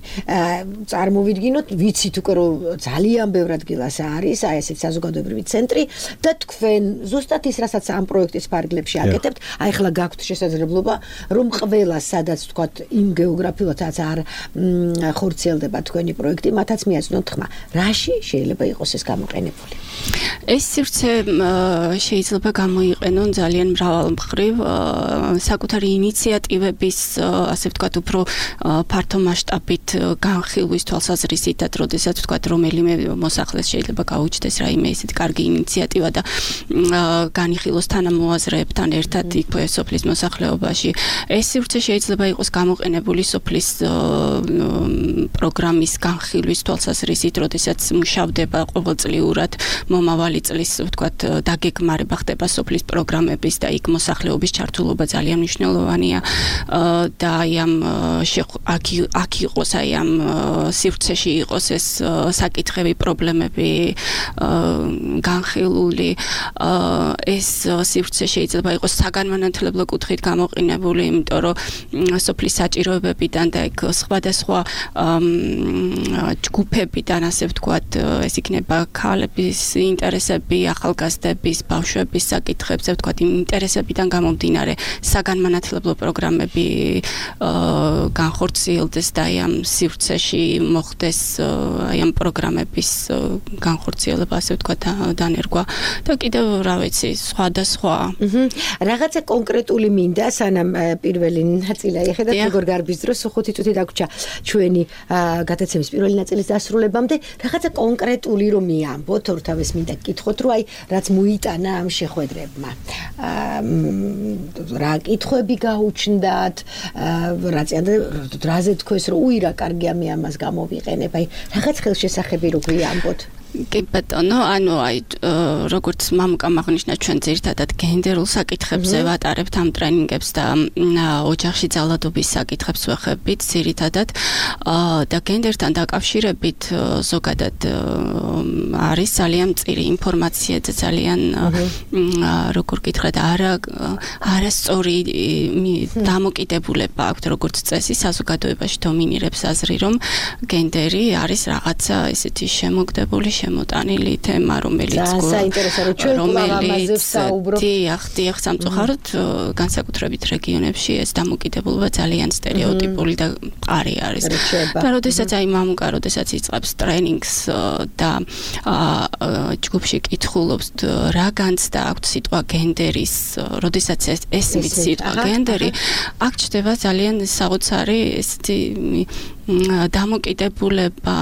წარმოვიდგინოთ ვიცით უკვე რომ ძალიან ბევრ ადგილას არის აი ესეთ საზოგადოებრივი ცენტრი და თქვენ ზუსტად ის რასაც ამ პროექტის ფარგლებში აკეთებთ აი ახლა გაქვთ შესაძლებლობა რომ ყველა სადაც თქვათ იმ გეოგრაფიულადაც არ ხორციელდება თქვენი პროექტი მათაც მიაწნოთ ხმა რაში შეიძლება იყოს ეს გამოყენებული ეს სივრცე შეიძლება გამოიყენონ ძალიან მრავალმხრივ საკუთარი ინიციატივების ასე ვთქვათ უფრო ფართო მასშტაბით განხილვის თვალსაზრისითაც როდესაც ვთქვათ რომელიმე მოსახლეს შეიძლება გაუჩნდეს რაიმე ისეთი კარგი ინიციატივა და განიხილოს თანამოაზრეებთან ერთად იქ სოფლის მოსახლეობაში ეს სივრცე შეიძლება იყოს გამოყენებული სოფლის პროგრამის განხილვის თვალსაზრისით როდესაც მუშავდება ყოველწლიურად მომავალი წლის ვთქვათ დაგეგმარება ხდება სოფლის პროგრამების და იქ მოსახლეობის ჩართულობა ძალიან მნიშვნელოვანია და აი ამ აქ იყოს აი ამ სივრცეში იყოს ეს საკითხები პრობლემები განხილული ეს სივრცე შეიძლება იყოს საგანმანათლებლო კუთხით გამოყენებული, იმიტომ რომ სოფლის საჭიროებებიდან და ეგ სხვადასხვა ჯგუფებიდან, ასე ვთქვათ, ეს იქნება ქალების ინტერესები, ახალგაზრდების, ბავშვების საკითხებზე, ვთქვათ, იმ ინტერესებიდან გამომდინარე საგანმანათლებლო პროგრამები განხორციელდეს და ამ სივრცეში მოხდეს ამ პროგრამების განხორციელება, ასე ვთქვათ, დანერგვა და კიდევ რა ვიცი, სხვადასხვა. რაღაცა კონკრეტული მინდა, სანამ პირველი ნაწილი აიხედათ, როგორ გარბის დროს 5 წუთი დაგვრჩა ჩვენი გადაცემის პირველი ნაწილის დასრულებამდე, რაღაცა კონკრეტული რომ მიამბოთ, ორთავეს მინდა გკითხოთ, რომ აი რაც მოიტანა ამ შეხვედრებმა. რა კითხვები გაუჩნდათ, რაზე თქვეს, რომ უი რა კარგია მე ამას გამოვიყენებ, აი რაღაც ხელშესახები რო გვიამბოთ. კი ბატონო, ანუ აი როგორც მამუკამ აღნიშნა, ჩვენ ძირითადად გენდერულ საკითხებზე ვატარებთ ამ ტრენინგებს და ოჯახში ძალადობის საკითხებს ვეხებით ძირითადად და გენდერთან დაკავშირებით ზოგადად არის ძალიან მწირი ინფორმაცია და ძალიან როგორ გითხრათ, არასწორი დამოკიდებულება აქვს, როგორც წესი საზოგადოებაში დომინირებს აზრი, რომ გენდერი არის რაღაცა ესეთი შემოგდებული შემოტანილი თემა, რომელიც დიახ, სამწუხაროდ განსაკუთრებით რეგიონებში ეს დამოკიდებულება ძალიან სტერეოტიპული და მყარი არის. და როდესაც აი მამუკა, როდესაც იწყებს ტრენინგს და ჯგუფში კითხულობს რა განცდა აქვს სიტყვა გენდერის, როდესაც ესმის სიტყვა გენდერი, აქ ჩდება ძალიან საოცარი ესეთი დამოკიდებულება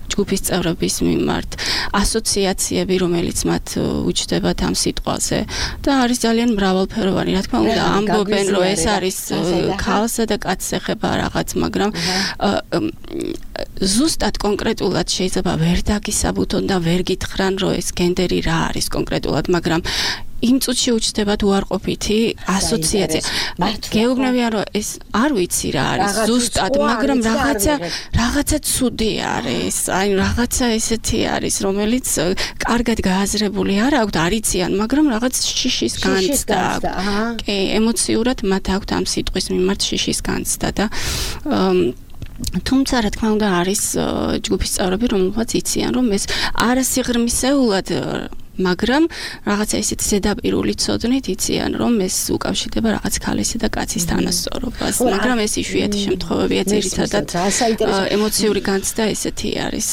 ჯგუფის წევრების მიმართ, ასოციაციები, რომელიც მათ უჩნდებათ ამ სიტყვაზე და არის ძალიან მრავალფეროვანი. რა თქმა უნდა, ამბობენ, რომ ეს არის ქალსა და კაცს ეხება რაღაც, მაგრამ ზუსტად კონკრეტულად შეიძლება ვერ დაგისაბუთონ და ვერ გითხრან, რომ ეს გენდერი რა არის კონკრეტულად, მაგრამ იმ წუთში უჩნდებათ უარყოფითი ასოციაცია. გეუბნებიან, რომ ეს არ ვიცი რა არის ზუსტად, მაგრამ რაღაცა ცუდი არის, აი რაღაცა ესეთი არის, რომელიც კარგად გააზრებული არ აქვს, არიციან, მაგრამ რაღაც შიშის განცდა. კი, ემოციურად მათ აქვთ ამ სიტყვის მიმართ შიშის განცდა და თუმცა რა თქმა უნდა არის ჯგუფის წევრები, რომელთაც იციან, რომ ეს არასიღრმისეულად მაგრამ რაღაცა ისეთი ზედაპირული ცოდნით იციან, რომ ეს უკავშირდება რაღაც ქალისა და კაცის თანასწორობას, მაგრამ ეს იშვიათი შემთხვევებია, ძირითადად ემოციური განცდა ესეთი არის.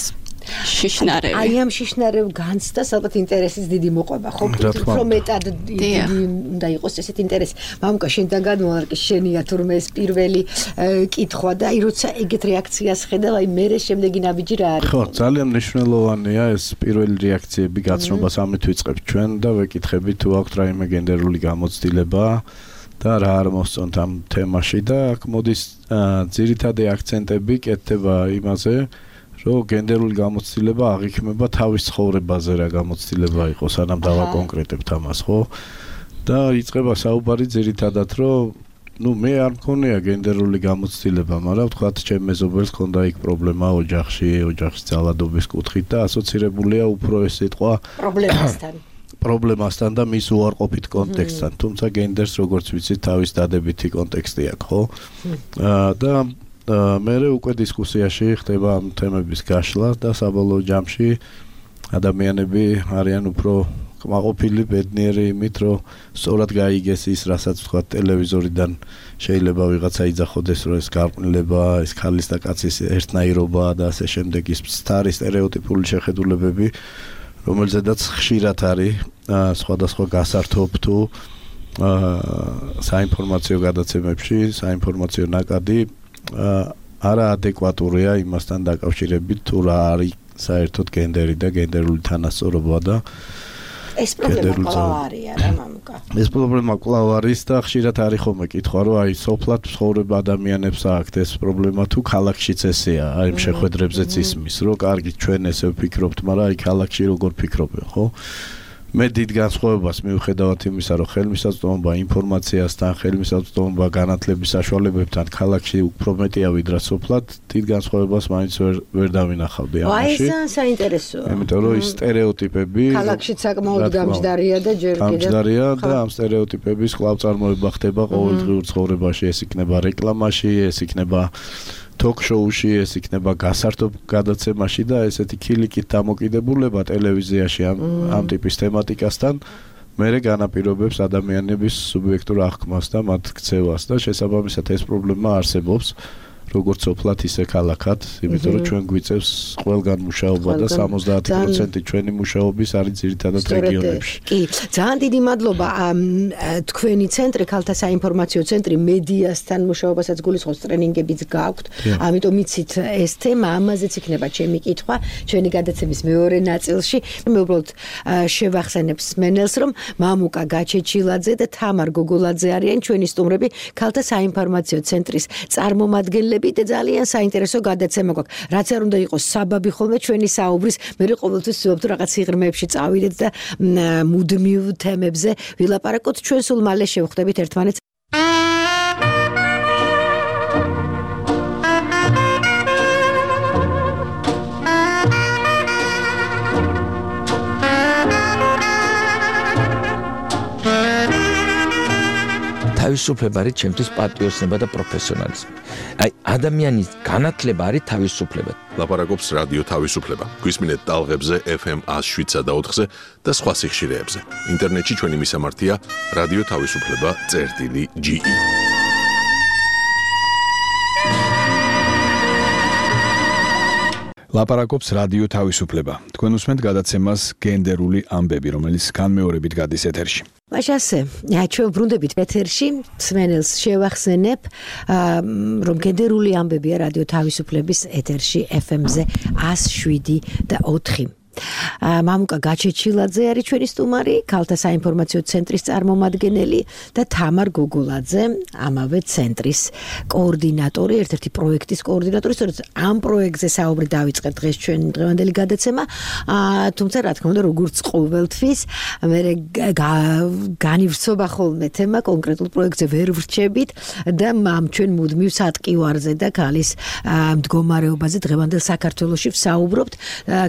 შიშნარევი. აი ამ შიშნარევ განცდას ალბათ ინტერესის დიდი მოყვება, ხო? რომ მეტად უნდა იყოს ესეთი ინტერესი. მამუკა, შენთან გადმოვარკი, შენია თურმე ეს პირველი კითხვა და აი როცა ეგეთ რეაქციას ხედავ, აი მერე შემდეგი ნაბიჯი რა არის? ხო, ძალიან მნიშვნელოვანია ეს პირველი რეაქციები, გაცნობას ამით ვიწყებთ ჩვენ და ვეკითხები თუ აქვს რაიმე გენდერული გამოცდილება და რა არ მოსწონთ ამ თემაში და აქ მოდის ძირითადი აქცენტები კეთდება იმაზე, რომ გენდერული გამოცდილება აღიქმება თავის ცხოვრებაზე რა გამოცდილება იყოს, სანამ დავაკონკრეტებთ ამას, ხო? და იწყება საუბარი ძირითადად, რომ მე არ მქონია გენდერული გამოცდილება, მაგრამ ვთქვათ, ჩემ მეზობელს ჰქონდა იქ პრობლემა ოჯახის ძალადობის კუთხით და ასოცირებულია უფრო ეს სიტყვა პრობლემასთან და მის უარყოფით კონტექსტთან. თუმცა გენდერს, როგორც ვიცით, თავის დადებითი კონტექსტი აქვს, ხო? და მერე უკვე დისკუსიაში ხდება ამ თემების გაშლა და საბოლოო ჯამში ადამიანები არიან უფრო კმაყოფილი, ბედნიერი იმით, რომ სწორად გაიგეს ის, რასაც ვთქვათ, ტელევიზორიდან შეიძლება ვიღაცა იძახოდეს, რომ ეს გარყვნილება, ეს ქალის და კაცის ერთნაირობა და ასე შემდეგ, ის სტარი სტერეოტიპული შეხედულებები, რომელზედაც ხშირად არის სხვადასხვა გასართობ თუ საინფორმაციო გადაცემებში, საინფორმაციო ნაკადი არაადეკვატურია იმასთან დაკავშირებით, თუ რა არის საერთოდ გენდერი და გენდერული თანასწორობა და ეს პრობლემა კვლავ არის რა მამუკა. ეს პრობლემა კვლავ არის და ხშირად არის ხოლმე კითხვა, რომ აი სოფლად ცხოვრებ ადამიანებს აქვთ ეს პრობლემა თუ ქალაქშიც ესეა, აი იმ შეხვედრებზეც ისმის, რომ კარგი ჩვენ ესე ვფიქრობთ, მაგრამ აი ქალაქში როგორ ფიქრობენ, ხო? მე დიდ განსხვავებას მივხედავთ იმისა, რომ ხელმისაწვდომობა ინფორმაციასთან, ხელმისაწვდომობა განათლების საშუალებებთან ქალაქში უფრო მეტია ვიდრე სოფლად, დიდ განსხვავებას მაინც ვერ დავინახავდი ამაში. აი ეს საინტერესოა. იმიტომ რომ ის სტერეოტიპები ქალაქში საკმაოდ გამჯდარია და ჯერ კიდევ გამჯდარია და ამ სტერეოტიპების კვლავ-წარმოება ხდება ყოველდღიურ ცხოვრებაში, ეს იქნება რეკლამაში, ეს იქნება ток-შოუში, ეს იქნება გასართობ გადაცემაში და ესეთი ქილიკით დამოკიდებულება ტელევიზიაში ამ ტიპის თემატიკასთან მერე განაპირობებს ადამიანების სუბიექტურ აღქმას და მათ ქცევას და შესაბამისად ეს პრობლემა არსებობს როგორც სოფლად ისე ქალაქად, იმიტომ რომ ჩვენ გვიწევს ყველგან მუშაობა და 70% ჩვენი მუშაობის არის ძირითადად რეგიონებში. კი, ძალიან დიდი მადლობა. თქვენი ცენტრი, ქალთა საინფორმაციო ცენტრი მედიასთან მუშაობასაც გულისხმობს, ტრენინგებიც გააქვთ. ამიტომ იცით ეს თემა, ამაზეც იქნება ჩემი კითხვა ჩვენი გადაცემის მეორე ნაწილში. მე უბრალოდ შევახსენებ მსმენელს, რომ მამუკა გაჩეჩილაძე და თამარ გოგოლაძე არიან ჩვენი სტუმრები ქალთა საინფორმაციო ცენტრის წარმომადგენლები. და ძალიან საინტერესო გადაცემა გვაქვს. რაც არ უნდა იყოს საბაბი ხოლმე ჩვენი საუბრის, მე ყოველთვის ვცდილობ თუ რაღაც სიღრმეებში წავიდეთ და მუდმივ თემებზე ვილაპარაკოთ. ჩვენ სულ მალე შევხვდებით ერთმანეთს. თავისუფლება არის ჩემთვის პატრიოტიზმი და პროფესიონალიზმი. აი ადამიანის განათლება არის თავისუფლება. ლაპარაკობს რადიო თავისუფლება. გვისმინეთ ტალღებზე FM 107 და 4-ზე და სხვა სიხშირეებზე. ინტერნეტში ჩვენი მისამართია რადიო თავისუფლება.ge. ლაპარაკობს რადიო თავისუფლება. თქვენ უსმენთ გადაცემას გენდერული ამბები, რომელიც განმეორებით გადის ეთერში. მაშასე, ჩვენ ბრუნდებით ეთერში, მსმენელს შევახსენებ, რომ გენდერული ამბებია რადიო თავისუფლების ეთერში FM-ზე 107 და 4. მამუკა გაჩეჩილაძე არის ჩვენი სტუმარი, ქალთა საინფორმაციო ცენტრის წარმომადგენელი და თამარ გოგოლაძე, ამავე ცენტრის კოორდინატორი, ერთ-ერთი პროექტის კოორდინატორი. სწორედ ამ პროექტზე საუბრი დავიწყეთ დღეს ჩვენი დღევანდელი გადაცემა. თუმცა რა თქმა უნდა, როგორც ყოველთვის, მე განივრცობა ხოლმე თემა კონკრეტულ პროექტზე ვერ ვრჩებით და ჩვენ მუდმივ სატყივარზე და ქალის მდგომარეობაზე დღევანდელ საქართველოში ვსაუბრობთ.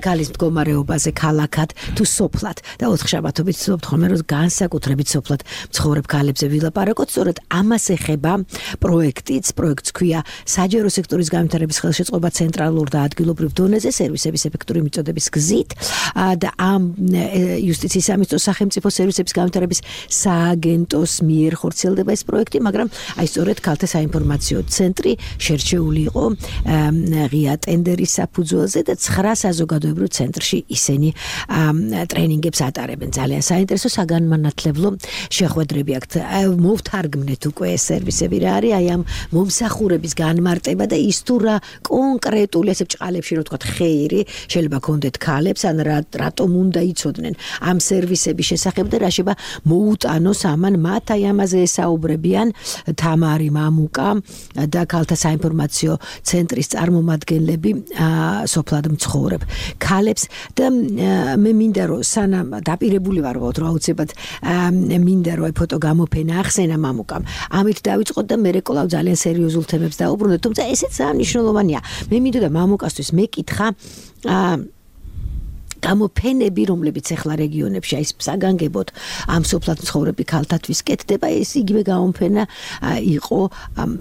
ქალის მდგომარეობაზე ქალაქად თუ სოფლად და ოთხშაბათობით ვცდილობთ ხოლმე რომ განსაკუთრებით სოფლად მცხოვრებ ქალებზე ვილაპარაკოთ. სწორედ ამას ეხება პროექტს ქვია საჯარო სექტორის განვითარების ხელშეწყობა ცენტრალურ და ადგილობრივ დონეზე სერვისების ეფექტური მიწოდების გზით და ამ იუსტიციის სამინისტროს სახელმწიფო სერვისების განვითარების სააგენტოს მიერ ხორციელდება ეს პროექტი, მაგრამ აი სწორედ ქალთა საინფორმაციო ცენტრი შერჩეული იყო ღია ტენდერის საფუძველზე და 9 საზოგადოებრივ ცენტრში ისინი ტრენინგებს ატარებენ. ძალიან საინტერესო საგანმანათლებლო შეხვედრები აქვთ. მოვთარგმნეთ უკვე ეს სერვისები რა არის, აი ამ მომსახურების განმარტება და ის თუ რა კონკრეტული ესე ბჭყალებში რო თქვა ხეირი შეიძლება კონდეთ ქალებს ან რატომ უნდა იცოდნენ ამ სერვისების შესახებ და რა შეიძლება მოუტანოს ამან მათ. აი ამაზე ესაუბრებიან თამარი, მამუკა და ქალთა საინფორმაციო ცენტრის წარმომადგენლები სოფლად მცხოვრებ ქალებს და მე მინდა რომ სანამ დაპირებული ვარ რომ აუცილებლად მინდა რომ ფოტო გამოფენა ახსენა მამუკამ. ამით დავიწყოთ და მე კვლავ ძალიან სერიოზულ თემებს დაუბრუნდეთ, თუმცა ესეც ძალიან მნიშვნელოვანია. მე მინდა და მამუკასთვის მეკითხა გამოფენები, რომლებიც ახლა რეგიონებში აი საგანგებოდ ამ სოფლად მცხოვრები ქალთათვის კეთდება, ეს იგივე გამოფენა იყო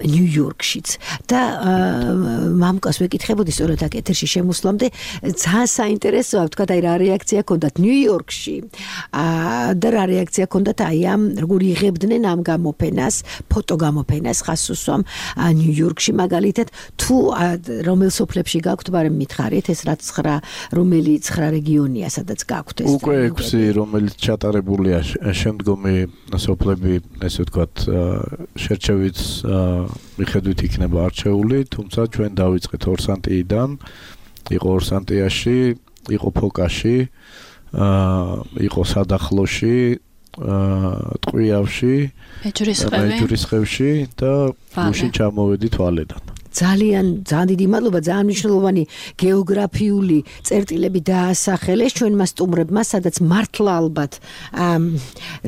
ნიუ-იორკშიც და მამუკას ვეკითხებოდი სწორედ აქ ეთერში შემოსვლამდე ძალიან საინტერესოა, ვთქვა, აი რა რეაქცია ჰქონდათ ნიუ-იორკში და რა რეაქცია ჰქონდათ აი ამ როგორ იღებდნენ ამ გამოფენას, ფოტოგამოფენას ხას უსვამ ნიუ-იორკში მაგალითად თუ რომელ სოფლებში გაქვთ, მაგრამ მითხარით ეს რაც 9 რომელი 9 რეგიონია, სადაც გაქვთ ეს. უკვე 6 რომელიც ჩატარებულია შემდგომი სოფლები, ესე ვთქვათ, შერჩევით მიხედვით იქნება არჩეული, თუმცა ჩვენ დავიწყეთ ორსანტიიდან, იყო ორსანტიაში, იყო ფოკაში, იყო სადახლოში, ტყვიავში, მეჯვრისხევში და გუშინ ჩამოვედით ვალედან. ძალიან დიდი მადლობა, ძალიან მნიშვნელოვანი გეოგრაფიული წერტილები დაასახელეს ჩვენმა სტუმრებმა, სადაც მართლა ალბათ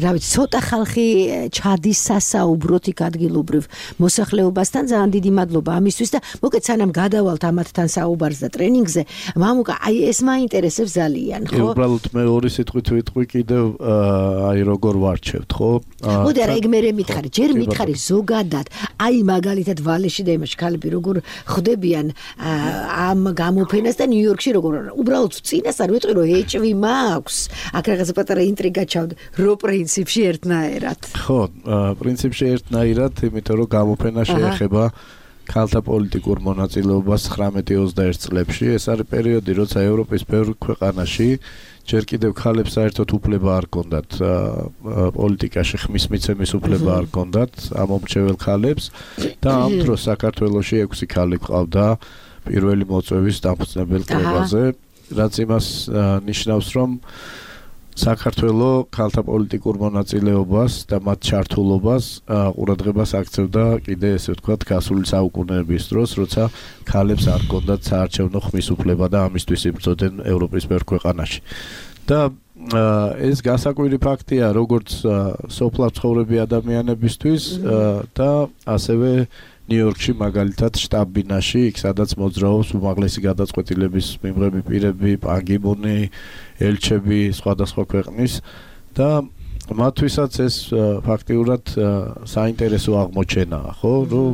რა ვიცი, ცოტა ხალხი ჩადის სასაუბროთ იქ ადგილობრივ მოსახლეობასთან. ძალიან დიდი მადლობა ამისთვის და მოკეთ სანამ გადავალთ ამათთან საუბარს და ტრენინგზე, მამუკა, აი ეს მაინტერესებს ძალიან, ხო? უბრალოდ მე ორი სიტყვით ვიტყვი კიდევ აი როგორ ვარჩევთ, ხო? მოდი არა, ეგ მე მითხარი, ჯერ მითხარი ზოგადად, აი მაგალითად ვალეში და იმაში ქალები როგორ ხვდებიან ამ გამოფენას და ნიუ-იორკში როგორ უბრალოდ წინას არ ვიტყვი რომ ეჭვი მაქვს. აქ რაღაცა პატარა ინტრიგა ჩავდა, რო პრინციპში ერთნაირად. ხო, პრინციპში ერთნაირად, იმიტომ რომ გამოფენა შეეხება ქალთა პოლიტიკურ მონაწილეობას 19-21 წლებში. ეს არის პერიოდი, როცა ევროპის ბევრ ქვეყანაში ჯერ კიდევ ქალებს საერთოდ უფლება არ ჰქონდათ პოლიტიკაში ხმის მიცემის უფლება არ ჰქონდათ ამომრჩეველ ქალებს და ამ დროს საქართველოში 6 ქალი ყავდა პირველი მოწვევის დამფუძნებელ კრებაზე, რაც იმას ნიშნავს, რომ საქართველო ქალთა პოლიტიკურ მონაწილეობას და მათ ჩართულობას ყურადღებას აქცევდა კიდე ესე ვთქვათ გასული საუკუნეების დროს, როცა ქალებს არ ჰქონდათ საარჩევნო ხმის უფლება და ამისთვის იბრძოდნენ ევროპის ბევრ ქვეყანაში. და ეს გასაკვირი ფაქტია როგორც სოფლად ცხოვრები ადამიანებისთვის და ასევე ნიუ-იორკში მაგალითად შტაბ-ბინაში, იქ სადაც მოძრაობს უმაღლესი გადაწყვეტილების მიღები პირები, პან კი მუნი, ელჩები სხვადასხვა ქვეყნის და მათთვისაც ეს ფაქტიურად საინტერესო აღმოჩენაა, ხო, რომ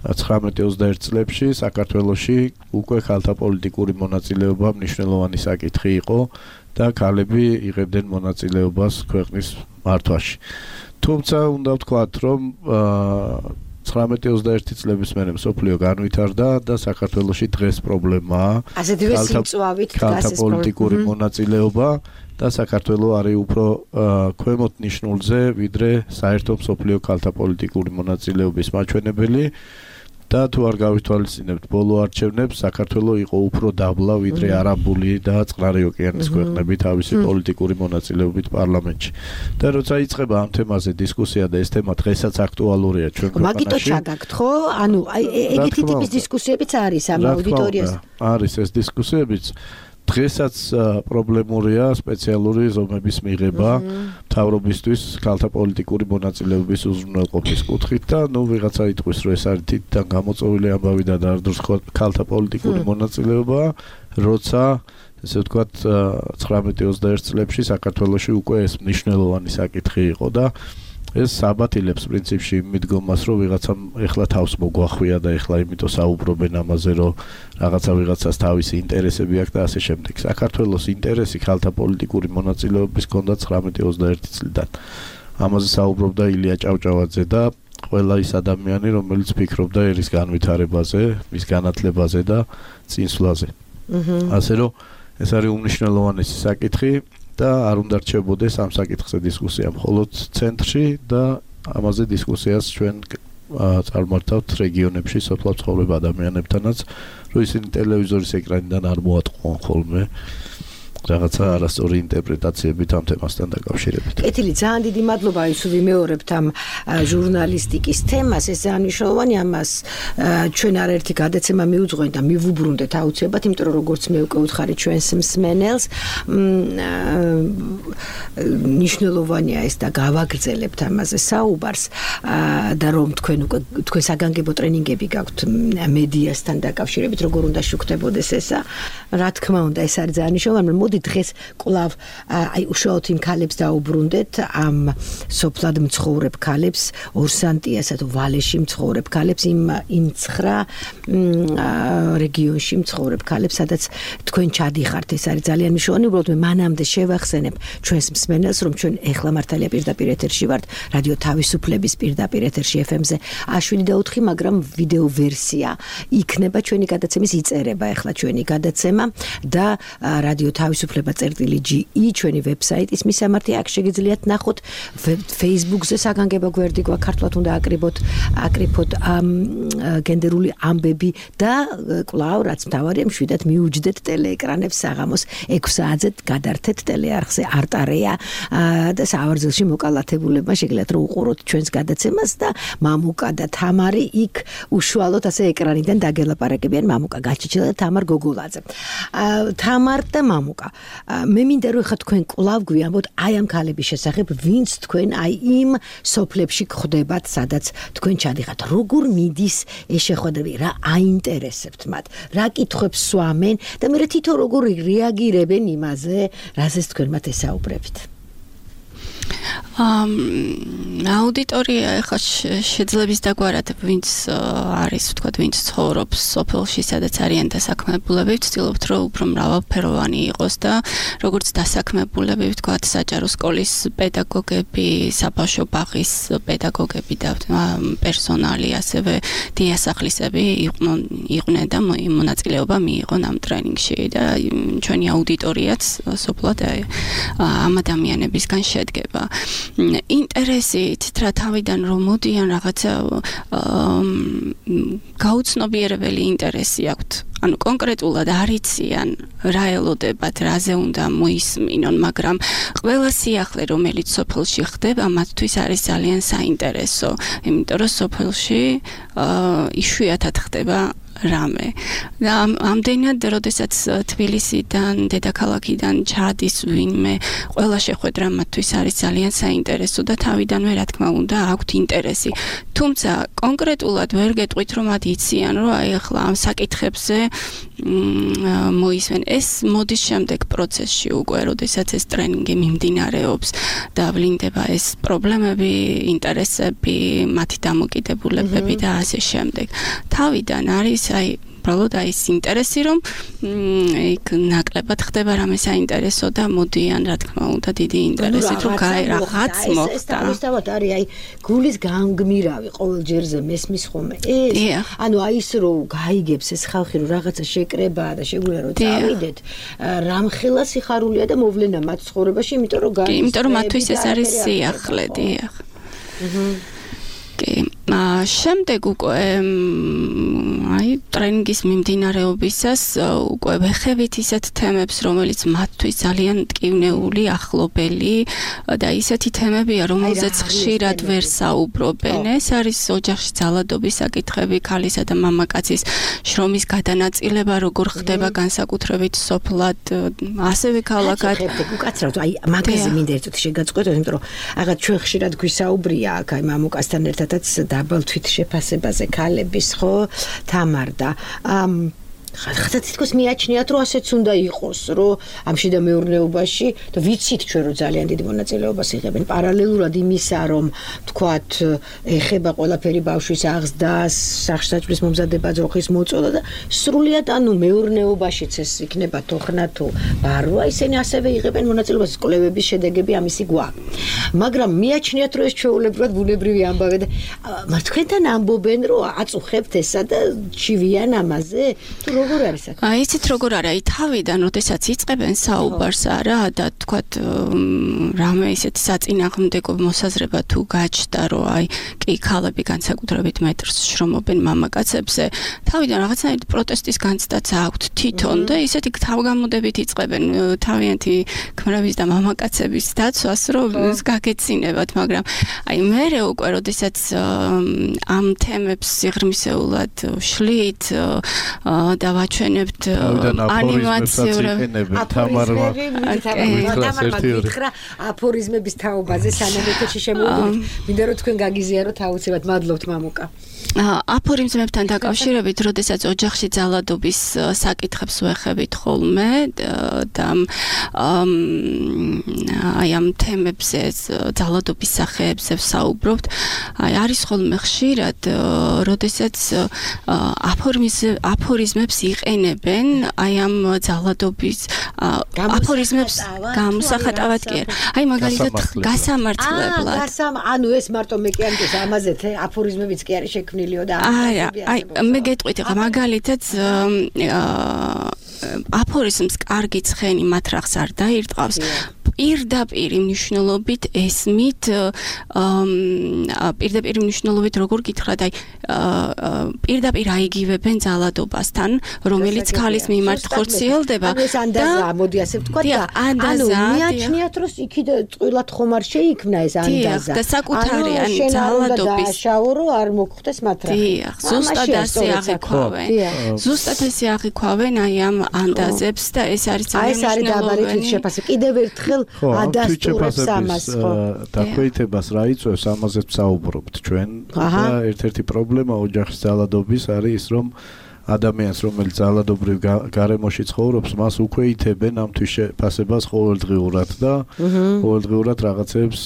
19-21 წლებში საქართველოში უკვე ქალთა პოლიტიკური მონაწილეობა მნიშვნელოვანი საკითხი იყო და ქალები იღებდნენ მონაწილეობას ქვეყნის მართვაში. თუმცა უნდა ვთქვათ, რომ 19-21 წლების მერე მსოფლიო განვითარდა და საქართველოში დღეს პრობლემაა ქალთა პოლიტიკური მონაწილეობა და საქართველო არის უფრო ქვემოთ ნიშნულზე, ვიდრე საერთო მსოფლიო ქალთა პოლიტიკური მონაწილეობის მაჩვენებელი. და თუ არ გავითვალისწინებთ ბოლო არჩევნებს, საქართველო იყო უფრო დაბლა, ვიდრე არაბული და წყნარი ოკეანის ქვეყნები თავისი პოლიტიკური მონაწილეობით პარლამენტში. და როცა იწყება ამ თემაზე დისკუსია და ეს თემა დღესაც აქტუალურია ჩვენ ქვეყანაში. მაგიტო ჩაგაგთ, ხო? ანუ აი ეგეთი ტიპის დისკუსიებიც არის ამ აუდიტორიაზე. არის ეს დისკუსიებიც. დღესაც პრობლემურია სპეციალური ზომების მიღება მთავრობისთვის ქალთა პოლიტიკური მონაწილეობის უზრუნველყოფის კუთხით და ნუ ვიღაცა იტყვის რომ ეს არის თითთან გამოწვეული ამბავი და არ დროს ქალთა პოლიტიკური მონაწილეობა, როცა ესე ვთქვათ 19-21 წლებში საქართველოში უკვე ეს მნიშვნელოვანი საკითხი იყო და ეს საბათილებს პრინციპში მიდგომას, რომ ვიღაცამ ეხლა თავს მოგვახვია და ეხლა იმიტომ საუბრობენ ამაზე, რომ რაღაცა ვიღაცას თავისი ინტერესები აქვს და ასე შემდეგ. საქართველოს ინტერესი ქალთა პოლიტიკური მონაწილეობის ჰქონდა 19-21 წლიდან. ამაზე საუბრობდა ილია ჭავჭავაძე და ყველა ის ადამიანი, რომელიც ფიქრობდა ერის განვითარებაზე, მის განათლებაზე და წინსვლაზე. ასე რომ ეს არის უმნიშვნელოვანესი საკითხი. და არ უნდა რჩებოდეს ამ საკითხზე დისკუსია მხოლოდ ცენტრში და ამაზე დისკუსიას ჩვენ წარმართავთ რეგიონებში სოფლად ცხოვრებ ადამიანებთანაც, რომ ისინი ტელევიზორის ეკრანიდან არ მოატყუან ხოლმე რაღაცა არასწორი ინტერპრეტაციებით ამ თემასთან დაკავშირებით. კეთილი, ძალიან დიდი მადლობა, ის ვიმეორებთ ამ ჟურნალისტიკის თემას, ეს ძალიან მნიშვნელოვანი, ამას ჩვენ არაერთი გადაცემა მიუძღვენ და მივუბრუნდეთ აუცილებლად, იმიტომ რომ როგორც მე უკვე უთხარი ჩვენს მსმენელს, მნიშვნელოვანია ეს და გავაგრძელებთ ამაზე საუბარს და რომ თქვენ საგანგებო ტრენინგები გაქვთ მედიასთან დაკავშირებით, როგორ უნდა შუქდებოდეს ესა, რა თქმა უნდა, ეს არის ძალიან მნიშვნელოვანი. დღეს კვლავ აი უშუალოდ იმ ქალებს დაუბრუნდეთ, ამ სოფლად მცხოვრებ ქალებს, ორსანტიასა თუ ვალეში მცხოვრებ ქალებს, იმ 9 რეგიონში მცხოვრებ ქალებს, სადაც თქვენ ჩადიხართ, ეს არის ძალიან მნიშვნელოვანი. უბრალოდ მე მანამდე შევახსენებ ჩვენს მსმენელს, რომ ჩვენ ეხლა მართალია პირდაპირ ეთერში ვართ, რადიო თავისუფლების პირდაპირ ეთერში FM-ზე 7:04, მაგრამ ვიდეო ვერსია იქნება ჩვენი გადაცემის, იწერება ეხლა ჩვენი გადაცემა და რადიო თავისუფლების თავისუფლება.ge ჩვენი ვებსაიტის მისამართი აქ შეგიძლიათ ნახოთ Facebook-ზე საგანგებო გვერდი გვაქვს ქართულად უნდა აკრიფოთ გენდერული ამბები და კვლავ რაც მთავარია მშვიდად მიუჯდეთ ტელეეკრანებს საღამოს 6 საათზე გადართეთ ტელეარხზე არტარეა და სავარძელში მოკალათებულებმა შეგიძლიათ რომ უყუროთ ჩვენს გადაცემას და მამუკა და თამარი იქ უშუალოდ ასე ეკრანიდან დაგელაპარაკებიან მამუკა გაჩიჩილა და თამარ გოგოლაძე თამარ და მამუკა მე მინდა რომ ხა თქვენ კვლავ გვიამბოთ აი ამ ქალების შესახებ ვინც თქვენ აი იმ სოფლებში გხვდებათ სადაც თქვენ ჩადიხართ როგორ მიდის ეს შეხვედრები რა აინტერესებთ მათ რა კითხვებს სვამენ და მე თვითონ როგორ რეაგირებენ იმაზე რაზეც თქვენ მათ ესაუბრებთ აუდიტორია ახლა შეძლებს დაგვარად ვინც არის ვთქვათ ვინც ცხოვრობს სოფელში სადაც არიან დასაქმებულები ვცდილობთ რომ უფრო მრავალფეროვანი იყოს და როგორც დასაქმებულები ვთქვათ საჯარო სკოლის პედაგოგები საბავშვო ბაღის პედაგოგები და პერსონალი ასევე დიასახლისები იყვნენ და მონაწილეობა მიიღონ ამ ტრენინგში და ჩვენი აუდიტორიაც სოფლად ამ ადამიანებისგან შედგება ინტერესით რა თავიდან რომ მოდიან რაღაცა გაუცნობიერებელი ინტერესი აქვთ ანუ კონკრეტულად არიციან რა ელოდებათ რაზე უნდა მოისმინონ მაგრამ ყველა სიახლე რომელიც სოფელში ხდება მათთვის არის ძალიან საინტერესო იმიტომ რომ სოფელში იშვიათად ხდება რამე და ამდენად როდესაც თბილისიდან დედაქალაქიდან ჩადის ვინმე ყველა შეხვედრა მათთვის არის ძალიან საინტერესო და თავიდანვე რა თქმა უნდა აქვთ ინტერესი თუმცა კონკრეტულად ვერ გეტყვით რომ მათ იციან რომ აი ახლა ამ საკითხებზე მოისმენ ეს მოდის შემდეგ პროცესში უკვე როდესაც ეს ტრენინგი მიმდინარეობს და ვლინდება ეს პრობლემები ინტერესები მათი დამოკიდებულებები და ასე შემდეგ თავიდან არის აი უბრალოდ აი ეს ინტერესი რომ იქ ნაკლებად ხდება რამე საინტერესო და მოდიან რა თქმა უნდა დიდი ინტერესით რომ რაღაც მოხდა თავისთავად არის აი გულის განგმირავი ყოველ ჯერზე მესმის ხომე ეს ანუ აი ის რომ გაიგებს ეს ხალხი რომ რაღაცა შეკრებაა და შეგვიძლია რომ წავიდეთ რამხელა სიხარულია და მოვლენა მათ ცხოვრებაში იმიტომ რომ იმიტომ რომ მათთვის ეს არის სიახლე დიახ შემდეგ უკვე აი ტრენინგის მიმდინარეობისას უკვე ვეხებით ისეთ თემებს რომელიც მათთვის ძალიან მტკივნეული ახლობელი და ისეთი თემებია რომელზეც ხშირად ვერ საუბრობენ ეს არის ოჯახში ძალადობის საკითხები ქალისა და მამაკაცის შრომის გადანაწილება როგორ ხდება განსაკუთრებით სოფლად ასევე ქალაქად უკაცრავად აი მაგაზე მინდა ერთად შეგაწყვეტო იმიტომ რომ აღარ ჩვენ ხშირად გვისაუბრია აქ აი მამუკასთან ერთადაც დაბალ თვითშეფასებაზე ქალების ხო თამარდა ხათა თითქოს მიაჩნიათ რომ ასეც უნდა იყოს რომ ამ შიდა მეურნეობაში და ვიცით ჩვენ რომ ძალიან დიდი მონაწილეობას იღებენ პარალელურად იმისა რომ თქვათ ეხება ყველაფერი ბავშვის აღზრდას სახსრაჭმის მომზადება ძროხის მოწოდა და სრულიად ანუ მეურნეობაშიც ეს იქნება თოხნა თუ ბარვა ისინი ასევე იღებენ მონაწილეობას კვლევების შედეგები ამისი გვაქვს მაგრამ მიაჩნიათ რომ ეს ჩვეულებრივად ბუნებრივი ამბავია და თქვენთან ამბობენ რომ აწუხებთ ესა და ჩივიან ამაზე თუ როგორ არის აქ? იცით როგორ არა, თავიდან როდესაც იწყებენ საუბარს არა და თქვათ რამე ისეთ საწინააღმდეგო მოსაზრება თუ გაჩნდა რომ აი კი ქალები განსაკუთრებით მეტრს შრომობენ მამაკაცებზე თავიდან რაღაცნაირი პროტესტის განცდაც აქვთ თვითონ და ისეთი თავგამოდებით იწყებენ თავიანთი ქმრების და მამაკაცების დაცვას რომ გაგეცინებათ მაგრამ აი მერე უკვე როდესაც ამ თემებს სიღრმისეულად ვშლით და ვაჩვენებთ ანიმაციურ აფორიზმების თაობაზე სანამ ეთერში შემოვიდეთ მინდა რომ თქვენ გაგიზიაროთ აუცილებლად მადლობთ მამუკა აფორიზმებთან დაკავშირებით როდესაც ოჯახში ძალადობის საკითხებს ვეხებით ხოლმე და აი ამ თემებზე ძალადობის სახეებზე ვსაუბრობთ აი არის ხოლმე ხშირად როდესაც აფორიზმებს იყენებენ აი ამ ძალადობის აფორიზმებს გამოსახატავად კი აი მაგალითად გასამართლებლად ანუ ეს მარტო მე კი ამის ამაზე აფორიზმებიც კი არის შექმნილიო და აი მე გეტყვით მაგალითად აფორიზმს კარგი ცხენი მათ რახს არ დაირტყავს. პირდაპირ მნიშვნელობით ესმით პირდაპირ მნიშვნელობით როგორ გითხრათ აი პირდაპირ აიგივებენ ძალადობასთან რომელიც ქალის მიმართ ხორციელდება და ეს ანდაზა მოდი ასე ვთქვა და ანუ მიაჩნიათ რომ იქიდან წყვილად ხომ არ შეიქმნა ეს ანდაზა და საკუთარი ან ძალადობის შაურო არ მოგხვდეს მათ რა ზუსტად ასე აღიქვავენ ზუსტად ასე აღიქვავენ აი ამ ანდაზებს და ეს არის ძალიან მნიშვნელოვანი აი ეს არის დაბალი თვითშეფასება კიდევ ერთხელ ადასტურებს ამას ხო დაქვეითებას რა იწვევს ამაზეც ვსაუბრობთ ჩვენ და ერთ-ერთი პრობლემა ოჯახის ძალადობის არის ის რომ ადამიანს რომელიც ძალადობრივ გარემოში ცხოვრობს მას უქვეითებენ ამ თვითშეფასებას ყოველდღიურად და ყოველდღიურად რაღაცებს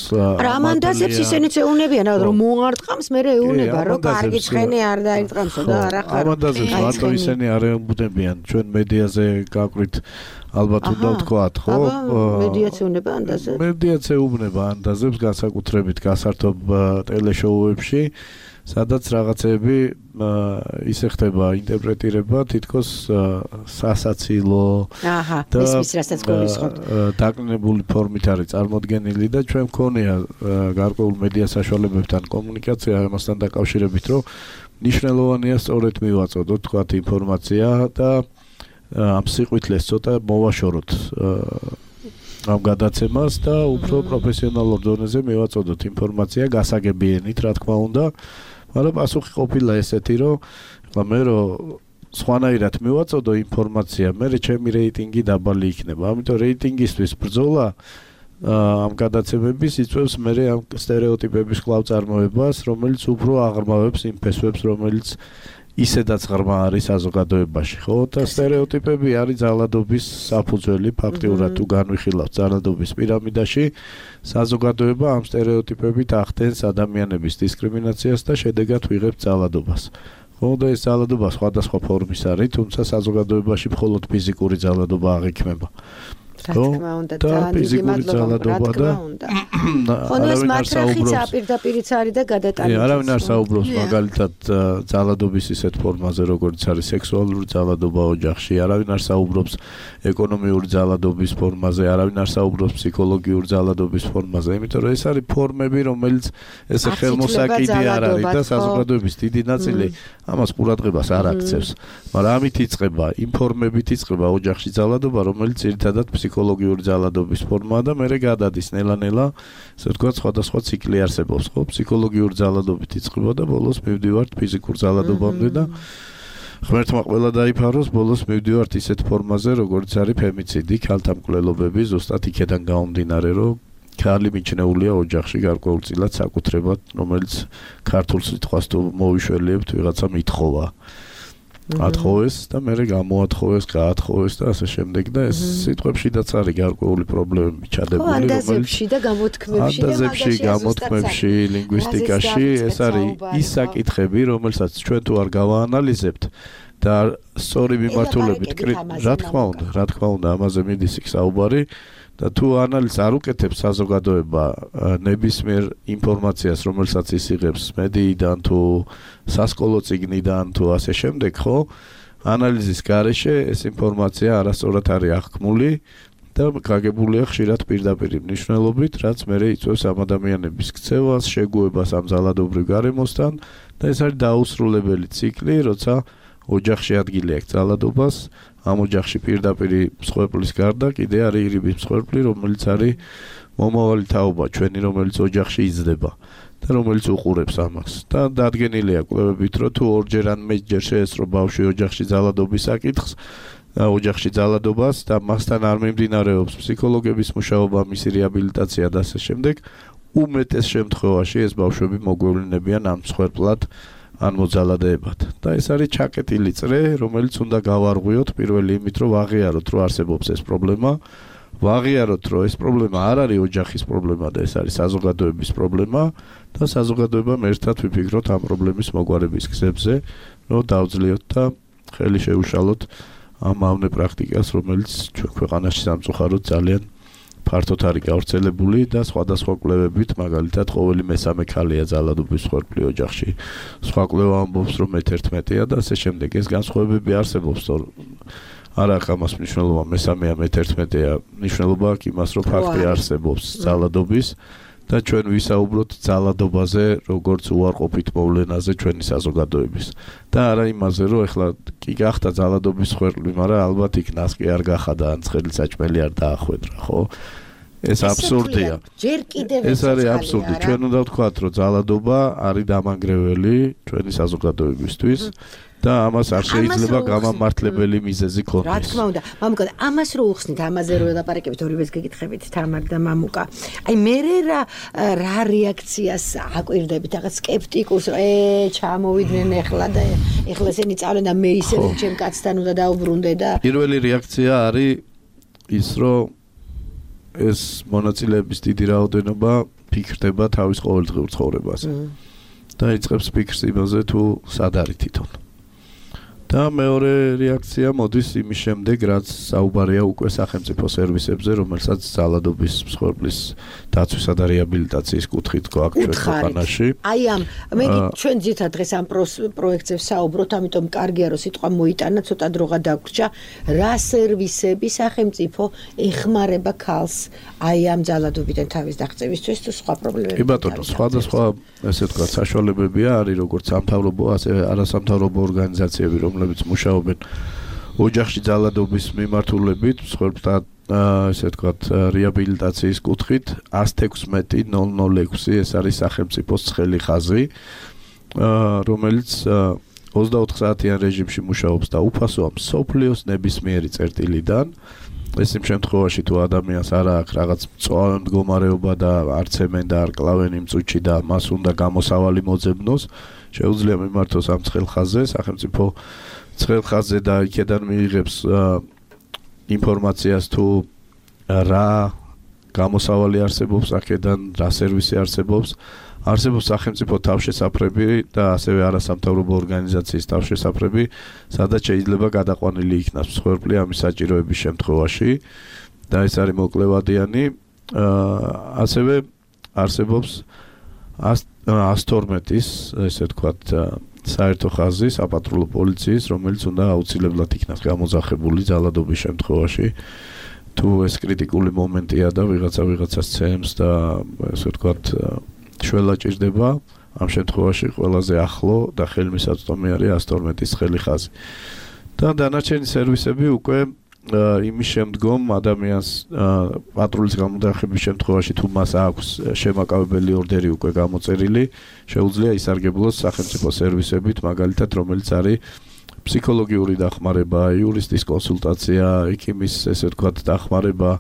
ამანდაზებს ისინიც ეუნებიან რომ მოარტყამს მე ეუნება რომ კარგი ცხენი არ დაირტყამსო და არა ხარ ამანდაზებს მარტო ისინი არ ეუბნებიან ჩვენ მედიაზე გაკვირთ ალბათ უნდა ვთქვათ ხო მედიაცია უნება ანდაზებს მედიაცია უნება ანდაზებს განსაკუთრებით გასართობ ტელეშოუებში სადაც რაღაცები ისე ხდება ინტერპრეტირება თითქოს სასაცილო და ისმის რასაც გულისხმობ დაკნინებული ფორმით არის წარმოდგენილი და ჩვენ მქონია გარკვეულ მედია საშუალებებთან კომუნიკაცია ამასთან დაკავშირებით რომ მნიშვნელოვანია სწორედ მივაწოდოთ თქვათ ინფორმაცია და ამ სიყვითლეს ცოტა მოვაშოროთ ამ გადაცემას და უფრო პროფესიონალურ დონეზე მივაწოდოთ ინფორმაცია გასაგებიენით რა თქმა უნდა მაგრამ პასუხი ყოფილა ესეთი რომ მე სხვანაირად მივაწოდო ინფორმაცია მე ჩემი რეიტინგი დაბალი იქნება ამიტომ რეიტინგისთვის ბრძოლა ამ გადაცემების იწვევს მე ამ სტერეოტიპების კვლავ-წარმოებას რომელიც უფრო აღრმავებს იმ ფესვებს რომელიც ისედაც ღრმა არის საზოგადოებაში, ხო? და სტერეოტიპები არის ძალადობის საფუძველი, ფაქტიურად თუ განვიხილავთ ძალადობის პირამიდაში, საზოგადოება ამ სტერეოტიპებით ახდენს ადამიანების დისკრიმინაციას და შედეგად ვიღებთ ძალადობას. ხო, და ეს ძალადობა სხვადასხვა ფორმის არის, თუმცა საზოგადოებაში მხოლოდ ფიზიკური ძალადობა არ იქნება. რა თქმა უნდა და ფიზიკური ძალადობა და ხონოს მატრახიც აპირდაპირიც არის და გადატანილი. არავინ არ საუბრობს მაგალითად ძალადობის ისეთ ფორმაზე როგორც არის სექსუალური ძალადობა ოჯახში, არავინ არ საუბრობს ეკონომიური ძალადობის ფორმაზე, არავინ არ საუბრობს ფსიქოლოგიური ძალადობის ფორმაზე, იმიტომ რომ ეს არის ფორმები, რომელიც ესე ხელმოსაკიდი არ არის და საზოგადოების დიდი ნაწილი ამას ყურადღებას არ აქცევს. მაგრამ ამით იწყება, იმ ფორმებით იწყება ოჯახში ძალადობა, რომელიც ძირითადად ფსიქოლოგიური ძალადობის ფორმაა და მერე გადადის ნელა-ნელა, ასე ვთქვათ, სხვადასხვა ციკლი არსებობს, ხო? ფსიქოლოგიური ძალადობით იწყება და ბოლოს მივდივართ ფიზიკურ ძალადობამდე და ღმერთმა ყველა დაიფაროს, ბოლოს მივდივართ ისეთ ფორმაზე, როგორც არის ფემიციდი, ქალთამკვლელობები, ზუსტად იქედან გამომდინარე, რომ ქალი მიჩნეულია ოჯახში გარკვეულწილად საკუთრებად, რომელიც ქართულ სიტყვას თუ მოვიშველიებთ, ვიღაცა მითხოვა. ათხოვეს და მე გამოათხოვეს, გაათხოვეს და ასე შემდეგ და ეს სიტყვებშიდაც არის გარკვეული პრობლემები ჩადებული, ანდაზებში და გამოთქმებში და გამოთქმებში, ლინგვისტიკაში ეს არის ის საკითხები, რომელსაც ჩვენ თუ არ გავაანალიზებთ და სწორი მიმართულებით, რა თქმა უნდა, ამაზე მიდის იქ საუბარი და თუ ანალიზს არ უკეთებს საზოგადოება ნებისმიერ ინფორმაციას, რომელსაც ის იღებს მედიიდან თუ სასკოლო წიგნიდან თუ ასე შემდეგ, ხო? ანალიზის გარეშე ეს ინფორმაცია არასწორად არის აღქმული და გაგებულია ხშირად პირდაპირ მნიშვნელობით, რაც მერე იწვევს ამ ადამიანების ქცევას, შეგუებას ამ ძალადობრივ გარემოსთან და ეს არის დაუსრულებელი ციკლი, როცა ოჯახში ადგილი აქვს ძალადობას, ამ ოჯახში პირდაპირ მსხვერპლის გარდა კიდე არის ირიბის მსხვერპლი, რომელიც არის მომავალი თაობა ჩვენი, რომელიც ოჯახში იზრდება და რომელიც უყურებს ამას. და დადგენილია კვლევებით, რომ თუ ორჯერ ან მეტჯერ შეესწრო ბავშვი ოჯახში ძალადობის საკითხს, ოჯახში ძალადობას და მასთან არ მიმდინარეობს ფსიქოლოგების მუშაობა, მისი რეაბილიტაცია და ასე შემდეგ, უმეტეს შემთხვევაში ეს ბავშვები მოგვევლინებიან ამ მსხვერპლად ან მოძალადეებად. და ეს არის ჩაკეტილი წრე, რომელიც უნდა გავარღვიოთ პირველი იმით, რომ ვაღიაროთ, რომ არსებობს ეს პრობლემა, ვაღიაროთ, რომ ეს პრობლემა არ არის ოჯახის პრობლემა და ეს არის საზოგადოების პრობლემა და საზოგადოებამ ერთად ვიფიქროთ ამ პრობლემის მოგვარების გზებზე, რომ დავძლიოთ და ხელი შეუშალოთ ამ მავნე პრაქტიკას, რომელიც ჩვენ ქვეყანაში სამწუხაროდ ძალიან ფართოდ არის გავრცელებული და სხვადასხვა კვლევებით, მაგალითად, ყოველი მესამე ქალია ძალადობის მსხვერპლი ოჯახში. სხვა კვლევა ამბობს, რომ 1/11-ია და ასე შემდეგ. ეს განსხვავებები არსებობს, არა აქვს ამას მნიშვნელობა მესამეა მე-11-ია მნიშვნელობა აქვს იმას რომ ფაქტი არსებობს ძალადობის და ჩვენ ვისაუბროთ ძალადობაზე როგორც უარყოფით მოვლენაზე ჩვენი საზოგადოების და არა იმაზე რომ ეხლა კი გახდა ძალადობის ხვერპლი მაგრამ ალბათ იქ ნასკი არ გახადა ან ცხელი საჭმელი არ დაახვედრა ხო ეს აბსურდია ჯერ კიდევ ეს არის აბსურდი ჩვენ უნდა ვთქვათ რომ ძალადობა არის დამანგრეველი ჩვენი საზოგადოებისთვის და ამას არ შეიძლება გამამართლებელი მიზეზი ქონდეს. რა თქმა უნდა, მამუკა, ამას რო უხსნით, ამაზე რო ელაპარაკებით ორივეს გეკითხებით თამარ და მამუკა. აი მე რა რეაქციას აკვირდებით, რაღაც სკეპტიკურს, ჩამოვიდნენ ეხლა და ეხლა ესენი წავლენ და მე ისე ჩემ კაცთან უნდა დაუბრუნდე და პირველი რეაქცია არის ის რომ ეს მონაწილეების დიდი რაოდენობა ფიქრდება თავის ყოველდღიურ ცხოვრებაზე. და იწყებს ფიქრს იმაზე თუ სად არის თვითონ. და მეორე რეაქცია მოდის იმის შემდეგ, რაც საუბარია უკვე სახელმწიფო სერვისებზე, რომელსაც ძალადობის მსხვერპლის დაცვისა და რეაბილიტაციის კუთხით გვაქვს ჩვენ ქვეყანაში. აი ამ მე ჩვენ ძირითადად დღეს ამ პროექტზე ვსაუბრობთ, ამიტომ კარგია რომ სიტყვა მოიტანა, ცოტა დროღა დაგვრჩა, რა სერვისები სახელმწიფო ეხმარება ქალს აი ამ ძალადობიდან თავის დაღწევისთვის თუ სხვა პრობლემები. კი ბატონო, სხვადასხვა ესე ვთქვათ საშუალებებია, არის როგორც სამთავრობო, ასევე არასამთავრობო ორგანიზაციები, რომლებიც მუშაობენ ოჯახში ძალადობის მიმართულებით, მსხვერპლთა ესე ვთქვათ რეაბილიტაციის კუთხით 116.006 ეს არის სახელმწიფოს ცხელი ხაზი, რომელიც 24 საათიან რეჟიმში მუშაობს და უფასოა მსოფლიოს ნებისმიერი წერტილიდან. ეს იმ შემთხვევაში თუ ადამიანს არ აქვს რაღაც მწვავე მდგომარეობა და არ ცემენ და არ კლავენ იმ წუთში და მას უნდა გამოსავალი მოძებნოს, შეუძლია მიმართოს ამ ცხელ ხაზზე, სახელმწიფო ცხელ ხაზზე და იქედან მიიღებს ინფორმაციას თუ რა გამოსავალი არსებობს აქედან, რა სერვისი არსებობს. არსებობს სახელმწიფო თავშესაფრები და ასევე არასამთავრობო ორგანიზაციის თავშესაფრები, სადაც შეიძლება გადაყვანილი იქნას მსხვერპლი ამის საჭიროების შემთხვევაში და ეს არის მოკლევადიანი. ასევე არსებობს 112-ის, ესე ვთქვათ, საერთო ხაზი საპატრულო პოლიციის, რომელიც უნდა აუცილებლად იქნას გამოძახებული ძალადობის შემთხვევაში. თუ ეს კრიტიკული მომენტია და ვიღაცას ცემს და ესე ვთქვათ შველა ჭირდება, ამ შემთხვევაში ყველაზე ახლო და ხელმისაწვდომი არის 112-ის ცხელი ხაზი. და დანარჩენი სერვისები უკვე იმის შემდგომ ადამიანს პატრულის გამოძახების შემთხვევაში თუ მას აქვს შემაკავებელი ორდერი უკვე გამოწერილი, შეუძლია ისარგებლოს სახელმწიფო სერვისებით, მაგალითად, რომელიც არის ფსიქოლოგიური დახმარება, იურისტის კონსულტაცია, ექიმის ესე ვთქვათ დახმარება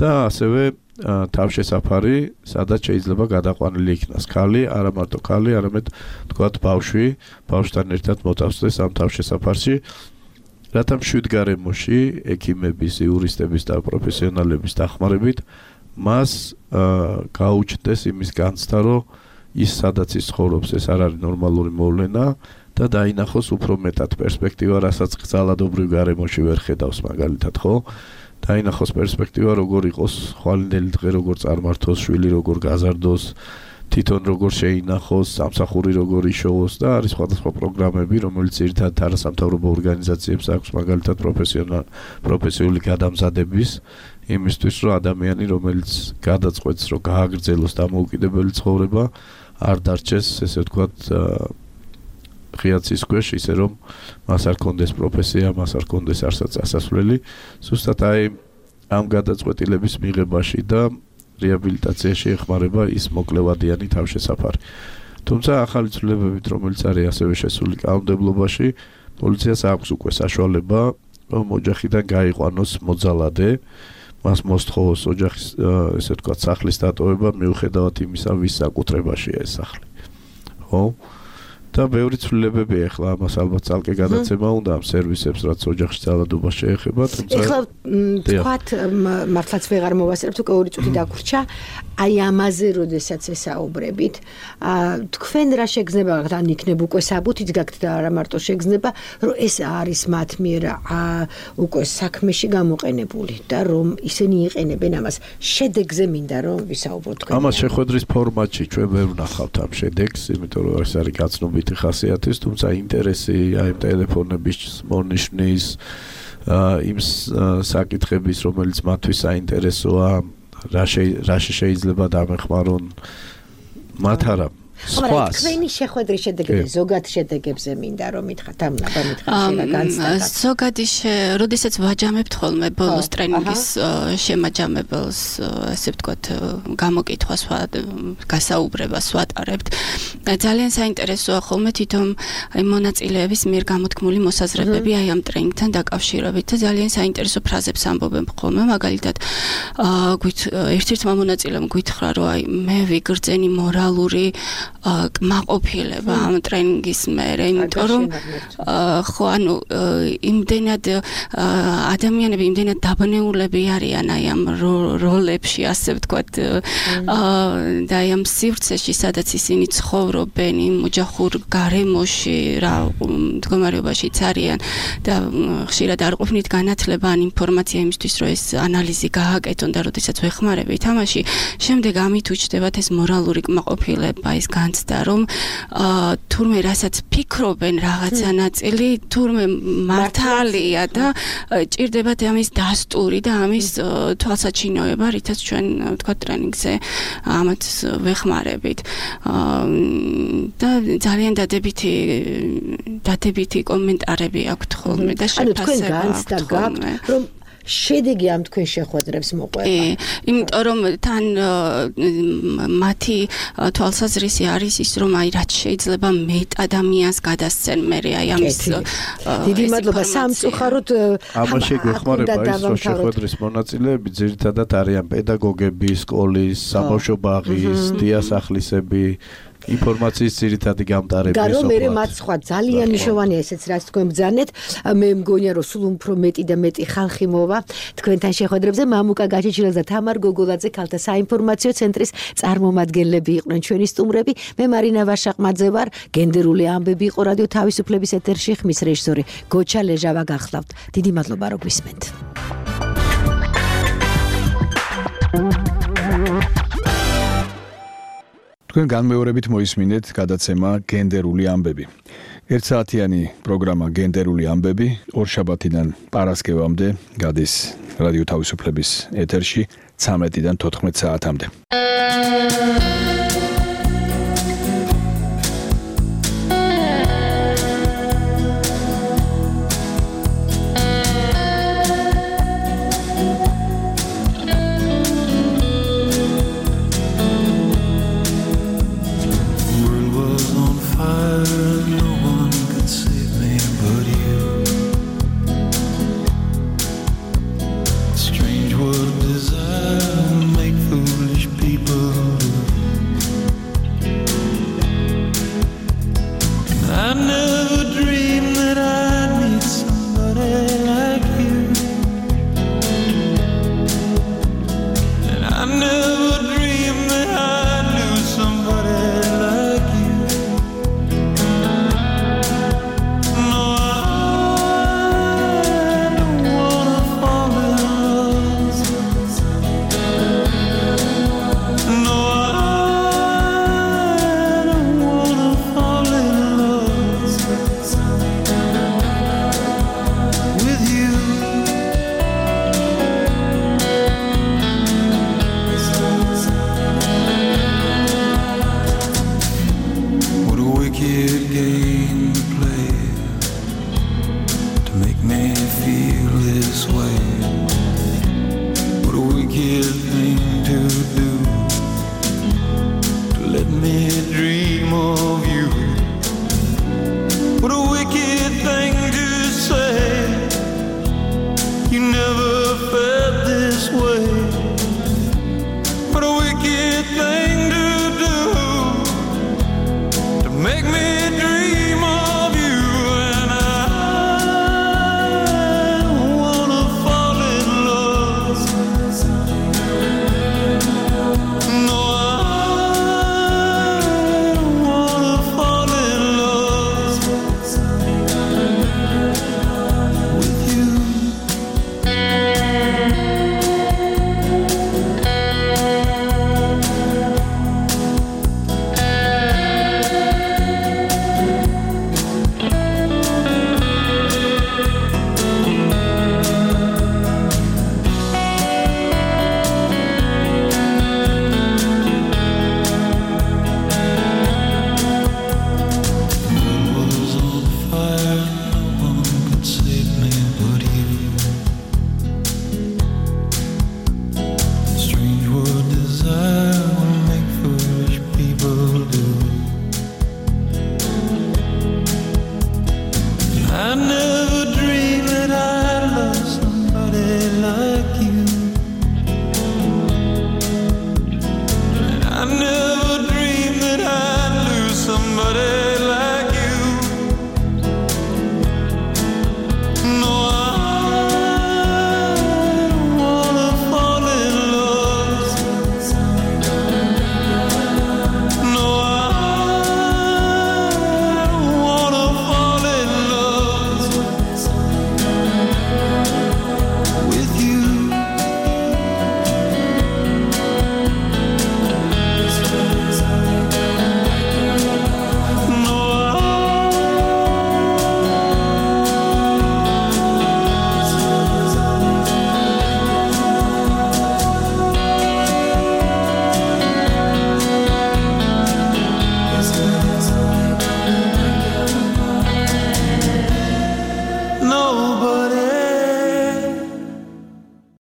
და ასევე თავშესაფარი, სადაც შეიძლება გადაყვანილი იქნას ქალი, არა მარტო ქალი, არამედ თქვათ ბავშვი, ბავშვთან ერთად მოწავსდეს ამ თავშესაფარში, რათა მშვიდგარემოში ექიმების, იურისტების და პროფესიონალების დახმარებით მას გაუჩნდეს იმის განცდა, რომ ის სადაც ის ცხოვრობს, ეს არ არის ნორმალური მოვლენა და დაინახოს უფრო მეტად პერსპექტივა, რასაც ძალადობრივ გარემოში ვერ ხედავს მაგალითად, ხო? დაინახოს პერსპექტივა, როგორ იყოს ხვალინდელი დღე, როგორ წარმართოს, შვილი როგორ გაზარდოს, თვითონ როგორ შეინახოს, სამსახური როგორ იშოვოს და არის სხვადასხვა პროგრამები, რომელიც ერთად არასამთავრობო ორგანიზაციებს აქვს მაგალითად პროფესიული გადამზადების იმისთვის, რომ ადამიანი, რომელიც გადაწყვეტს, რომ გააგრძელოს დამოუკიდებელი ცხოვრება, არ დარჩეს, ესე ვთქვათ, ღიაცის ქვეშ, ისე რომ მას არ კონდეს პროფესია, მას არ კონდეს არსაც ასასვლელი, ზუსტად აი ამ გადაწყვეტილების მიღებაში და რეაბილიტაციაში ეხმარება ის მოკლევადიანი თავშესაფარი. თუმცა ახალი ცვლილებებით, რომელიც არის ასევე შესული კანონმდებლობაში, პოლიციას აქვს უკვე საშუალება, რომ ოჯახიდან გაიყვანოს მოძალადე, მას მოსთხოვოს ოჯახის, ესე ვთქვათ, სახლის დატოვება მიუხედავად იმისა, ვის საკუთრებაშია ეს სახლი. ხო? და ბევრი ცვლილებები ახლა ამას ალბათ ძალკე გადაცემა უნდა ამ სერვისებს, რაც ოჯახში ძალადობას შეეხება, თუმცა ეხლა თქვათ მართლაც ვეღარ მოვასწრებთ, უკვე ორი წუთი დაგვრჩა, აი ამაზე როდესაც ესაუბრებით, თქვენ რა შეგრძნება, ან იქნებ უკვე საბუთით გაქვთ და არა მარტო შეგრძნება, რომ ეს არის მათ მიერ უკვე საქმეში გამოყენებული და რომ ისინი იყენებენ ამას. შედეგზე მინდა რომ ვისაუბროთ თქვენ. ამას შეხვედრის ფორმატში ჩვენ ვერ ვნახავთ ამ შედეგს, იმიტომ რომ ეს არის გაცნობი ხასიათის, თუმცა ინტერესი აი ტელეფონების მონიშნის იმ საკითხების, რომელიც მათთვის საინტერესოა, რა შეიძლება დამეხმარონ მათ არა. სხვა თქვენი შეხვედრის შედეგებზე ზოგად შედეგებზე მინდა რომ მითხრათ ამ აბა მითხრათ შეიძლება განცდას ზოგადი როდესაც ვაჯამებთ ხოლმე ბოლოს ტრენინგის შემაჯამებელს ასე ვთქვათ გამოკითხვას გასაუბრებას ვატარებთ ძალიან საინტერესოა ხოლმე თვითონ აი მონაწილეების მიერ გამოთქმული მოსაზრებები აი ამ ტრენინგთან დაკავშირებით და ძალიან საინტერესო ფრაზებს ამბობენ ხოლმე მაგალითად ერთ-ერთმა მონაწილემ გითხრა რომ აი მე ვიგრძენი მორალური კმაყოფილება ამ ტრენინგის მერე, იმიტომ რომ ხო ანუ იმდენად ადამიანები იმდენად დაბნეულები არიან აი ამ როლებში, ასე ვთქვათ, და აი ამ სივრცეში, სადაც ისინი ცხოვრობენ, იმ ოჯახურ გარემოში, რა მდგომარეობაშიც არიან და ხშირად არ ყოფნით განათლება ან ინფორმაცია იმისთვის, რომ ეს ანალიზი გააკეთონ და როდესაც ვეხმარებით ამაში, შემდეგ ამით უჩნდებათ ეს მორალური კმაყოფილება, ეს განცდა, რომ თურმე რასაც ფიქრობენ რაღაცა ნაწილი, თურმე მართალია და ჭირდებათ ამის დასტური და ამის თვალსაჩინოება, რითაც ჩვენ თქვა ტრენინგზე ამათ ვეხმარებით. და ძალიან დადებითი კომენტარები აქვთ ხოლმე და შეფასება აქვთ ხოლმე. რომ შედეგი ამ თქვენ შეხვედრებს მოყვება. იმიტომ რომ თან მათი თვალსაზრისი არის ის რომ აი რაც შეიძლება მეტ ადამიანს გადასცენ მე აი ამის დიდი მადლობა სამწუხაროდ ამაში გვეხმარება ის რომ შეხვედრის მონაწილეები ძირითადად არიან პედაგოგები, სკოლის, საბავშვო ბაღის, დიასახლისები ინფორმაციის ძირითადი გამტარები და რომ მე მათ სხვა ძალიან მნიშვნელოვანია ესეც რაც თქვენ ბრძანეთ მე მგონია რომ სულ უფრო მეტი და მეტი ხალხი მოვა თქვენთან შეხვედრებზე მამუკა გაჩეჩილაძე და თამარ გოგოლაძე ქალთა საინფორმაციო ცენტრის წარმომადგენლები იყვნენ ჩვენი სტუმრები მე მარინა ვაშაყმაძე ვარ გენდერული ამბები იყო რადიო თავისუფლების ეთერში ხმის რეჟისორი გოჩა ლეჟავა გახლავთ დიდი მადლობა რომ გვისმენთ თქვენ განმეორებით მოისმინეთ გადაცემა გენდერული ამბები. 1 საათიანი პროგრამა გენდერული ამბები 2 შაბათიდან პარასკევამდე გადის რადიო თავისუფლების ეთერში 13-დან 14 საათამდე. You never felt this way.